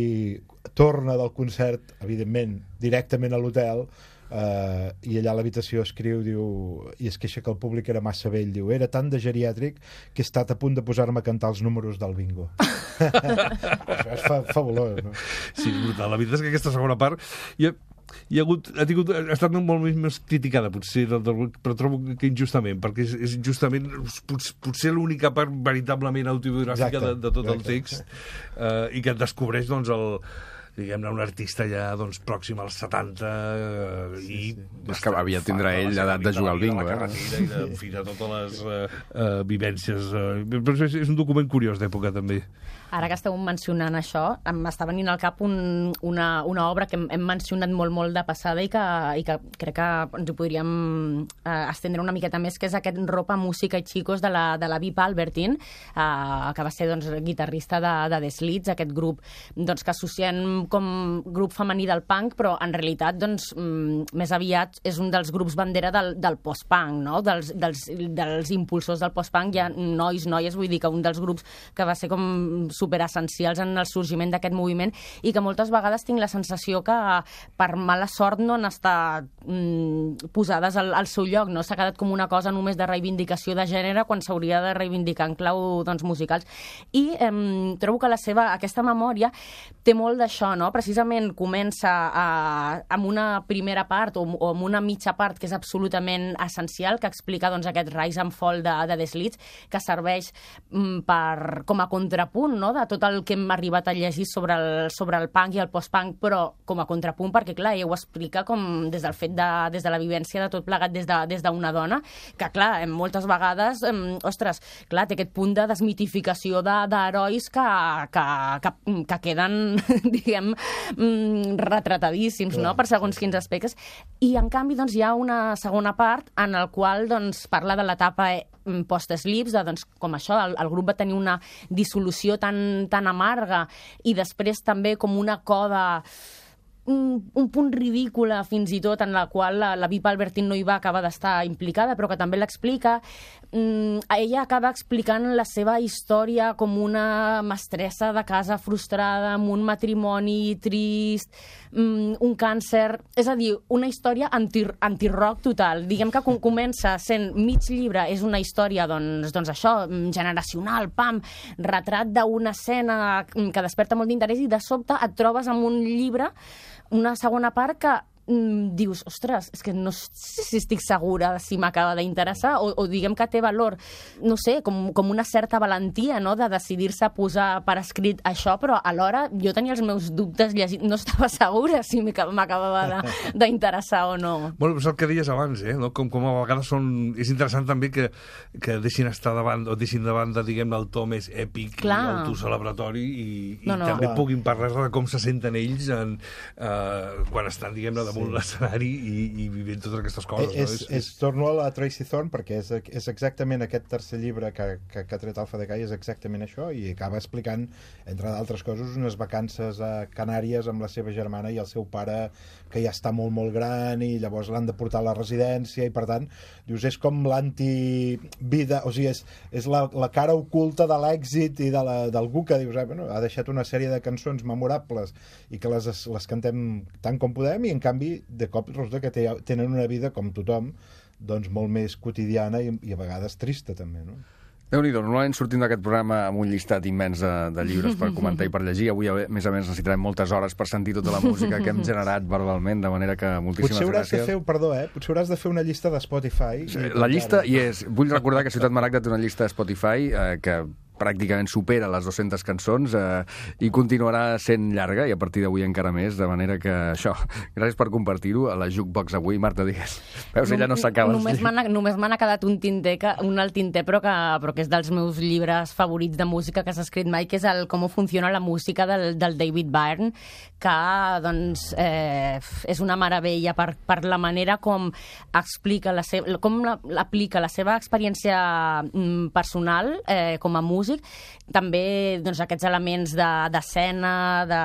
torna del concert, evidentment, directament a l'hotel, Uh, i allà a l'habitació escriu, diu, i es queixa que el públic era massa vell, diu, era tan de geriàtric que he estat a punt de posar-me a cantar els números del bingo. És fa, fabulós, no? Sí, brutal. La veritat és que aquesta segona part hi ha, hi ha, hagut, ha, tingut, ha estat molt més criticada, potser, del, del, però trobo que injustament, perquè és, és justament potser, potser l'única part veritablement autobiogràfica de, de tot exacte. El text, uh, i que et descobreix, doncs, el diguem-ne, un artista ja doncs, pròxim als setanta eh, i... Sí, sí. És que havia tindrà ell l'edat de jugar al bingo, eh? I de, en fi, de totes les uh, uh, vivències. Uh, però és, és un document curiós d'època, també. Ara que esteu mencionant això, m'està venint al cap un, una, una obra que hem, hem mencionat molt, molt de passada i que, i que crec que ens ho podríem eh, estendre una miqueta més, que és aquest Ropa, Música i Chicos de la, de la Vip Albertine, eh, que va ser doncs, guitarrista de, de The Slits, aquest grup doncs, que associem com grup femení del punk, però en realitat doncs, més aviat és un dels grups bandera del, del post-punk, no? dels, dels, dels impulsors del post-punk. Hi ha nois, noies, vull dir que un dels grups que va ser com superessencials en el sorgiment d'aquest moviment i que moltes vegades tinc la sensació que per mala sort no han estat mm, posades al, al seu lloc, no? S'ha quedat com una cosa només de reivindicació de gènere quan s'hauria de reivindicar en clau doncs, musicals. I eh, trobo que la seva, aquesta memòria té molt d'això, no? Precisament comença a, amb una primera part o, o amb una mitja part que és absolutament essencial, que explica doncs, aquest rise and fall de, de The Slits, que serveix mm, per, com a contrapunt, no? De tot el que hem arribat a llegir sobre el, sobre el punk i el post-punk, però com a contrapunt, perquè clar, ella ho explica com des del fet de, des de la vivència de tot plegat des d'una de, des d'una que clar, moltes vegades, eh, ostres, clar, té aquest punt de desmitificació d'herois de, que, que, que, que queden, diguem, retratadíssims, no?, per segons quins aspectes. I en canvi, doncs, hi ha una segona part en el qual doncs, parla de l'etapa post-Slips, de, doncs, com això, el, el grup va tenir una dissolució tan, tan amarga i després també com una coda un, un punt ridícula fins i tot en la qual la, la Vip Albertine no hi va acabar d'estar implicada, però que també l'explica. Mm, ella acaba explicant la seva història com una mestressa de casa frustrada, amb un matrimoni trist, mm, un càncer... És a dir, una història anti, anti-rock total. Diguem que com comença sent mig llibre, és una història, doncs, doncs això, generacional, pam, retrat d'una escena que desperta molt d'interès i de sobte et trobes amb un llibre, una segona part que mm, dius, ostres, és que no sé si estic segura si m'acaba d'interessar o, o diguem que té valor, no sé, com, com una certa valentia, no?, de decidir-se a posar per escrit això, però alhora jo tenia els meus dubtes llegint, no estava segura si m'acabava d'interessar o no. Bueno, és el que deies abans, eh? No? Com, com a vegades són... És interessant també que, que deixin estar davant, o deixin davant de, diguem-ne, el to més èpic Clar. I autocelebratori i, i no, no. també Clar. Puguin parlar de com se senten ells en, eh, quan estan, diguem-ne, de damunt sí. l'escenari i, i vivint totes aquestes coses. És, no? és, és, torno a la Tracy Thorn perquè és, és exactament aquest tercer llibre que, que, que ha tret Alfa de Gai, és exactament això, i acaba explicant, entre d'altres coses, unes vacances a Canàries amb la seva germana i el seu pare, que ja està molt, molt gran, i llavors l'han de portar a la residència, i per tant, dius, és com l'anti-vida, o sigui, és, és la, la cara oculta de l'èxit i de la, d'algú que dius, eh, bueno, ha deixat una sèrie de cançons memorables i que les, les cantem tant com podem, i en canvi de cop resulta que té, tenen una vida com tothom, doncs molt més quotidiana i, i a vegades trista també, no? Déu-n'hi-do, normalment sortim d'aquest programa amb un llistat immens de, de llibres per comentar i per llegir. Avui, a més a més, necessitarem moltes hores per sentir tota la música que hem generat verbalment, de manera que moltíssimes potser hauràs gràcies. De fer, perdó, eh? Potser hauràs de fer una llista de Spotify. Sí, la llista hi és. Vull recordar que Ciutat Maragda té una llista de Spotify eh, que pràcticament supera les dues-centes cançons eh, i continuarà sent llarga, i a partir d'avui encara més, de manera que això, gràcies per compartir-ho a la Jukebox avui. Marta, digues. Veus, ella no s'acaba. Només m'ha només m'ha quedat un tinter, que, un al tinter, però que, però que és dels meus llibres favorits de música que s'ha escrit mai, que és el Com funciona la música del, del David Byrne, que doncs, eh, és una meravella per, per la manera com explica la seva, com la, aplica la seva experiència mm, personal eh, com a músic, també doncs, aquests elements d'escena, de,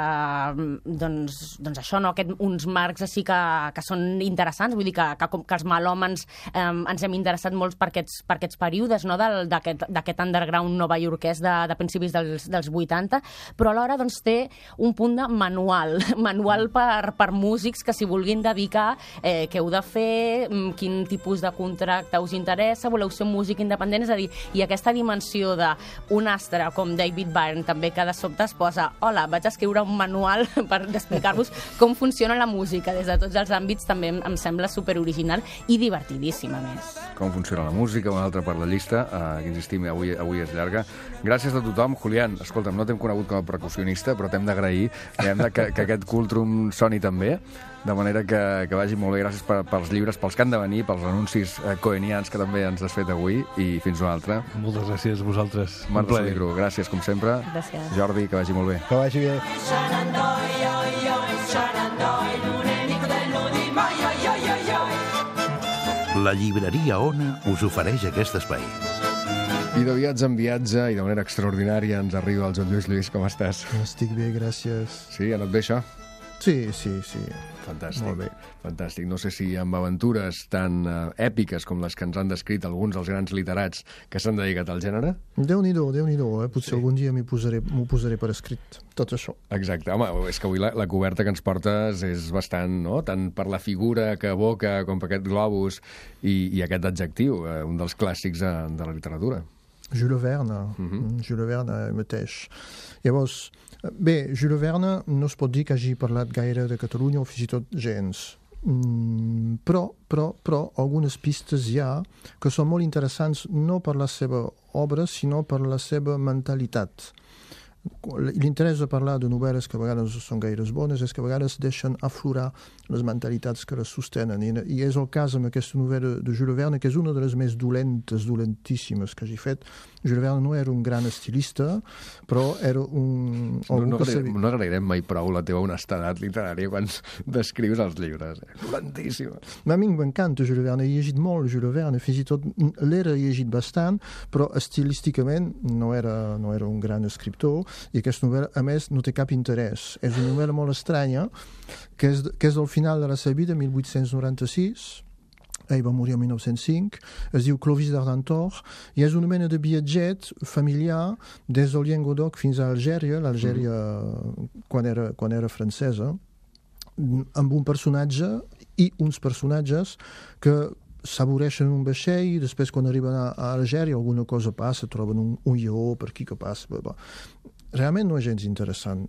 de, doncs, doncs això, no? Aquest, uns marcs així que, que són interessants, vull dir que, que, que els melòmens eh, ens hem interessat molt per aquests, per aquests períodes, no? d'aquest underground novaiorquès de, de principis dels, dels vuitanta, però alhora doncs, té un punt de manual, manual per, per músics que s'hi vulguin dedicar, eh, què heu de fer, quin tipus de contracte us interessa, voleu ser un músic independent, és a dir, i aquesta dimensió de un astre com David Byrne també, que de sobte es posa, hola, vaig escriure un manual per explicar-vos com funciona la música des de tots els àmbits, també em sembla superoriginal i divertidíssim, a més. Com funciona la música, una altra per la llista, eh, que insistim, avui, avui és llarga. Gràcies a tothom. Julián, escolta'm, no t'hem conegut com a percussionista, però t'hem d'agrair que, que aquest Cultrum soni també, de manera que, que vagi molt bé. Gràcies per, pels llibres, pels que han de venir, pels anuncis eh, coenians que també ens has fet avui, i fins una altra. Moltes gràcies a vosaltres. Marta Soligru, gràcies com sempre. Gràcies. Jordi, que vagi molt bé. Que vagi bé. La llibreria Ona us ofereix aquest espai. I de viatge en viatge, i de manera extraordinària, ens arriba el Joan Lluís. Lluís, com estàs? Estic bé, gràcies. Sí, ha anat bé això? Sí, sí, sí. Fantàstic, molt bé. Fantàstic. No sé si amb aventures tan uh, èpiques com les que ens han descrit alguns dels grans literats que s'han dedicat al gènere? Déu-n'hi-do, Déu-n'hi-do. Eh? Potser Sí. algun dia m'ho posaré, m'ho posaré per escrit, tot això. Exacte. Home, és que avui la, la coberta que ens portes és bastant, no?, tant per la figura que evoca com per aquest globus i, i aquest adjectiu, eh, un dels clàssics de, de la literatura. Jules Verne, Mhm. Jules Verne mateix. Llavors, bé, Jules Verne no es pot dir que hagi parlat gaire de Catalunya o fins i tot gens. Mm, però, però, però algunes pistes hi ha que són molt interessants no per la seva obra, sinó per la seva mentalitat. L'interès de parlar de novel·les que a vegades són gaires bones és que a vegades deixen aflorar les mentalitats que les sostenen. I, i és el cas amb aquesta novel·la de Jules Verne, que és una de les més dolentes, dolentíssimes que hagi fet. Jules Verne no era un gran estilista, però era un... No, no, que agrairem, sabia... no agrairem mai prou la teva honestedat literària quan descrius els llibres. Eh? Dolentíssima. A mi m'encanta Jules Verne, he llegit molt Jules Verne, fins i tot l'era he llegit bastant, però estilísticament no era, no era un gran escriptor, i aquesta novel·la, a més, no té cap interès. És una novel·la molt estranya, que és, que és del final de la seva vida, mil vuit-cents noranta-sis, ell va morir el mil nou-cents cinc, es diu Clovis d'Argentor, i és una mena de viatget familiar des del Llenguadoc fins a Algèria, l'Algèria mm. quan, era, quan era francesa, amb un personatge i uns personatges que s'avoreixen un vaixell i després quan arriben a, a Algèria alguna cosa passa, troben un, un lleó per aquí que passa. Bla, bla. Realment no és gens interessant.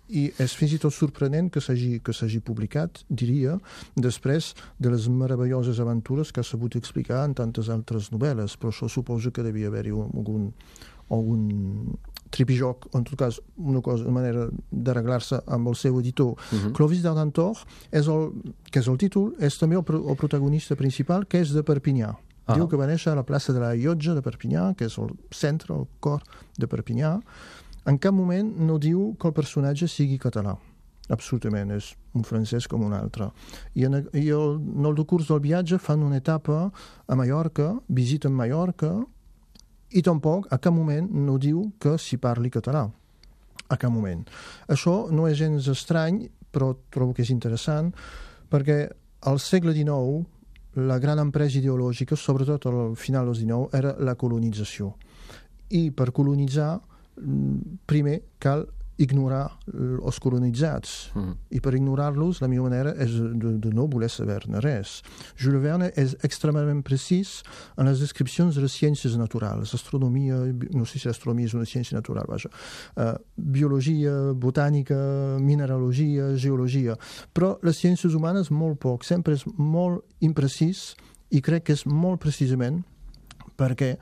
I és fins i tot sorprenent que s'hagi que s'hagi publicat, diria, després de les meravelloses aventures que ha sabut explicar en tantes altres novel·les, però això suposo que devia haver-hi algun, algun tripijoc, o en tot cas una, cosa, una manera d'arreglar-se amb el seu editor. Uh-huh. Clovis d'Argentor, és el, que és el títol, és també el, el protagonista principal, que és de Perpinyà. Uh-huh. Diu que va néixer a la plaça de la Llotja de Perpinyà, que és el centre, el cor de Perpinyà. En cap moment no diu que el personatge sigui català. absolutament, és un francès com un altre. I en, i el, en el decurs del viatge fan una etapa a Mallorca, visiten Mallorca, i tampoc a cap moment no diu que s'hi parli català. A cap moment. Això no és gens estrany, però trobo que és interessant, perquè al segle dinou la gran empresa ideològica, sobretot al final del dinou, era la colonització. I per colonitzar, primer cal ignorar els colonitzats. Mm. I per ignorar-los, la millor manera és de, de no voler saber-ne res. Jules Verne és extremadament precís en les descripcions de les ciències naturals. Astronomia, no sé si l'astronomia és una ciència natural, vaja. Uh, biologia, botànica, mineralogia, geologia. Però les ciències humanes molt poc. Sempre és molt imprecís i crec que és molt precisament perquè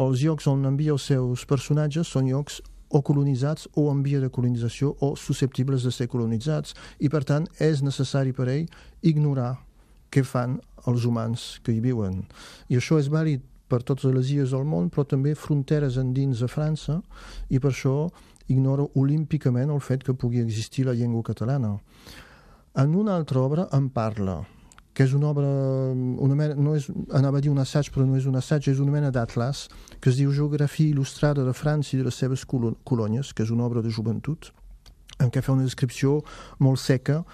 els llocs on envia els seus personatges són llocs o colonitzats o en via de colonització o susceptibles de ser colonitzats i per tant és necessari per ell ignorar què fan els humans que hi viuen. I això és vàlid per totes les illes del món, però també fronteres endins de França, i per això ignora olímpicament el fet que pugui existir la llengua catalana. En una altra obra en parla, que és una obra, una mena, no és, anava a dir un assaig, però no és un assaig, és una mena d'atlas, que es diu Geografia il·lustrada de França i de les seves colònies, que és una obra de joventut, en què fa una descripció molt seca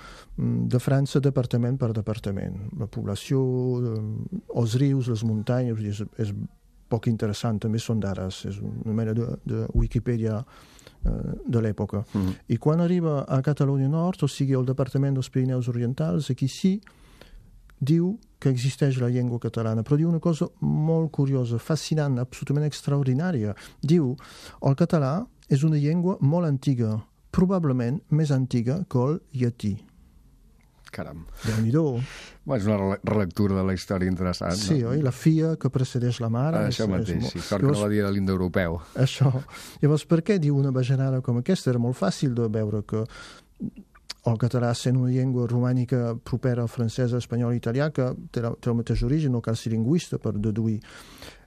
de França departament per departament. La població, els rius, les muntanyes, és, és poc interessant, també són d'Ares, és una mena de, de Wikipedia de l'època. Mm. I quan arriba a Catalunya Nord, o sigui, el departament dels Pirineus Orientals, aquí sí, diu que existeix la llengua catalana, però diu una cosa molt curiosa, fascinant, absolutament extraordinària. Diu, el català és una llengua molt antiga, probablement més antiga que el llatí. Caram. Déu-n'hi-do. Bueno, és una relectura de la història interessant. Sí, no? oi? La fia que precedeix la mare. Ah, això és, mateix, és sí, molt... sort que no va dir de l'indoeuropeu. Això. Llavors, per què diu una bajanada com aquesta? Era molt fàcil de veure que el català sent una llengua romànica propera al francès, espanyol i italià, que té, la, té el mateix origen, no cal ser lingüista per deduir.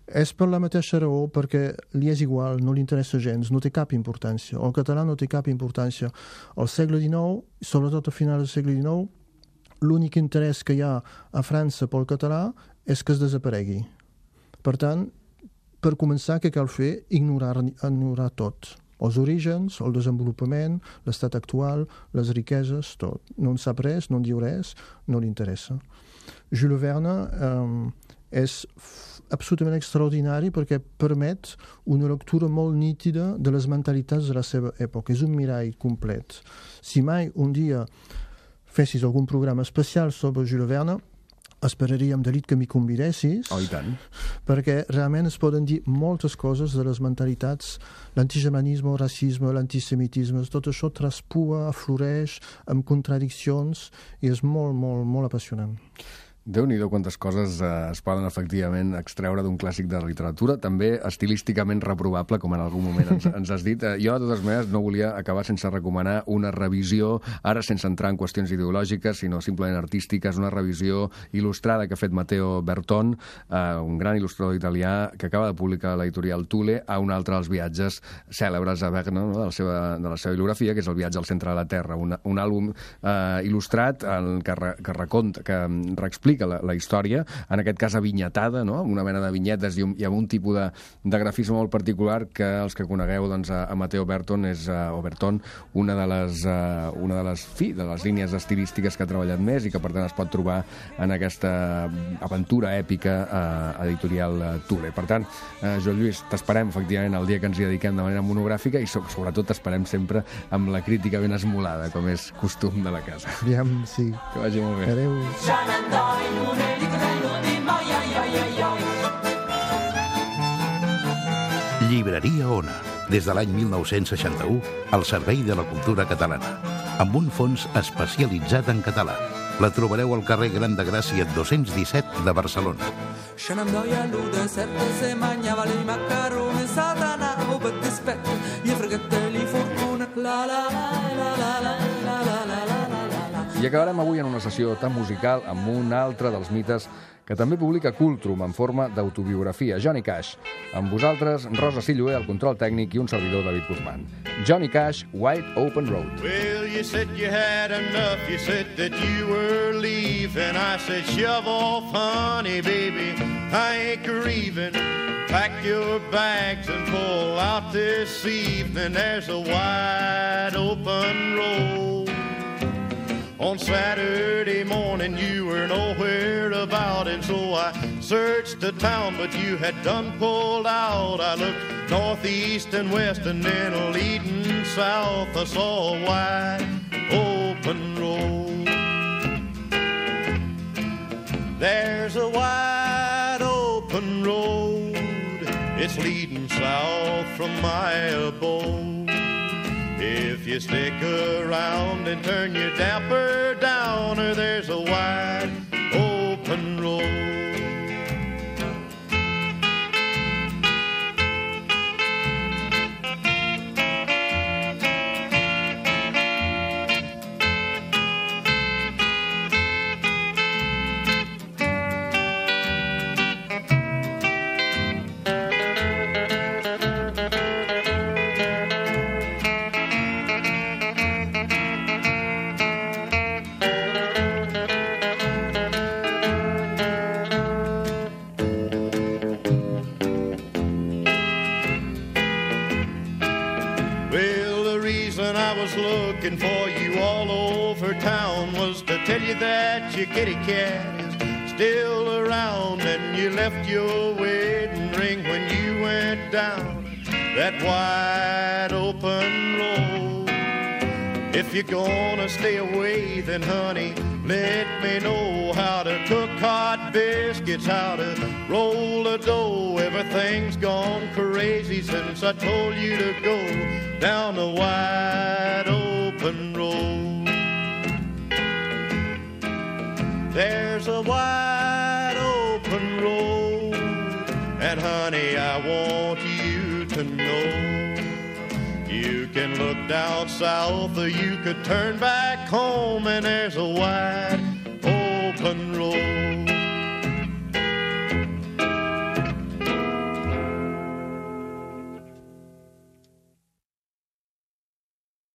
És per la mateixa raó, perquè li és igual, no li interessa gens, no té cap importància. El català no té cap importància. Al segle dinou, sobretot a final del segle dinou, l'únic interès que hi ha a França pel català és que es desaparegui. Per tant, per començar, què cal fer? Ignorar, ignorar tot. Els orígens, el desenvolupament, l'estat actual, les riqueses, tot. No en sap res, no en diu res, no li interessa. Jules Verne eh, és absolutament extraordinari perquè permet una lectura molt nítida de les mentalitats de la seva època. És un mirall complet. Si mai un dia fessis algun programa especial sobre Jules Verne, esperaríem de l'it que m'hi convidessis, oh, i tant. Perquè realment es poden dir moltes coses de les mentalitats, l'antigermanisme, el racisme, l'antisemitisme, tot això traspua, afloreix amb contradiccions i és molt, molt, molt apassionant. Déu-n'hi-do quantes coses eh, es poden efectivament extreure d'un clàssic de la literatura, també estilísticament reprovable, com en algun moment ens, ens has dit. Eh, jo, de totes maneres, no volia acabar sense recomanar una revisió, ara sense entrar en qüestions ideològiques, sinó simplement artístiques, una revisió il·lustrada que ha fet Matteo Berton, eh, un gran il·lustrador italià, que acaba de publicar l'editorial Thule a un altre dels viatges cèlebres a Verne, no? de, la seva, de la seva bibliografia, que és el viatge al centre de la Terra, un, un àlbum eh, il·lustrat en, que, re, que reconta, que reexplica La, la història, en aquest cas avinyetada, no? Una mena de vinyetes i, un, i amb un tipus de, de grafisme molt particular que els que conegueu doncs, a, a Matteo Berton és, uh, o Berton, una de les, uh, una de les, fi, de les línies estilístiques que ha treballat més i que per tant es pot trobar en aquesta aventura èpica uh, editorial uh, Thule. Per tant, uh, Joan Lluís, t'esperem efectivament el dia que ens hi dediquem de manera monogràfica i so, sobretot t'esperem sempre amb la crítica ben esmolada, com és costum de la casa. Aviam, sí. Que vagi molt bé. Adéu. Llibreria Ona, des de l'any mil nou-cents seixanta-u, al servei de la cultura catalana, amb un fons especialitzat en català. La trobareu al carrer Gran de Gràcia dos-cents disset de Barcelona. Se n'andoia l'uda certa, se mangiava i macaroni, satanavo per dispetto, gli freghette li fortuna, la la la la la la la la la la la. I acabarem avui en una sessió tan musical amb un altre dels mites que també publica Cultrum en forma d'autobiografia, Johnny Cash. Amb vosaltres, Rosa Silloé, al control tècnic, i un servidor, David Guzmán. Johnny Cash, Wide Open Road. Well, you said you had enough, you said that you were leaving. I said, shove off, honey, baby, I ain't grieving. Pack your bags and pull out this evening. There's a wide open road. On Saturday morning you were nowhere about, and so I searched the town, but you had done pulled out. I looked northeast and west and then leading south, I saw a wide open road. There's a wide open road, it's leading south from my abode. If you stick around and turn your damper down, or there's a wide open road. Looking for you all over town was to tell you that your kitty cat is still around, and you left your wedding ring when you went down that wide open road. If you're gonna stay away, then honey, let me know how to cook hot biscuits, how to roll a dough. Everything's gone crazy since I told you to go down the wide open road. There's a wide open road, and honey, I want you to know. You can look down south, or you could turn back home, and there's a wide open road.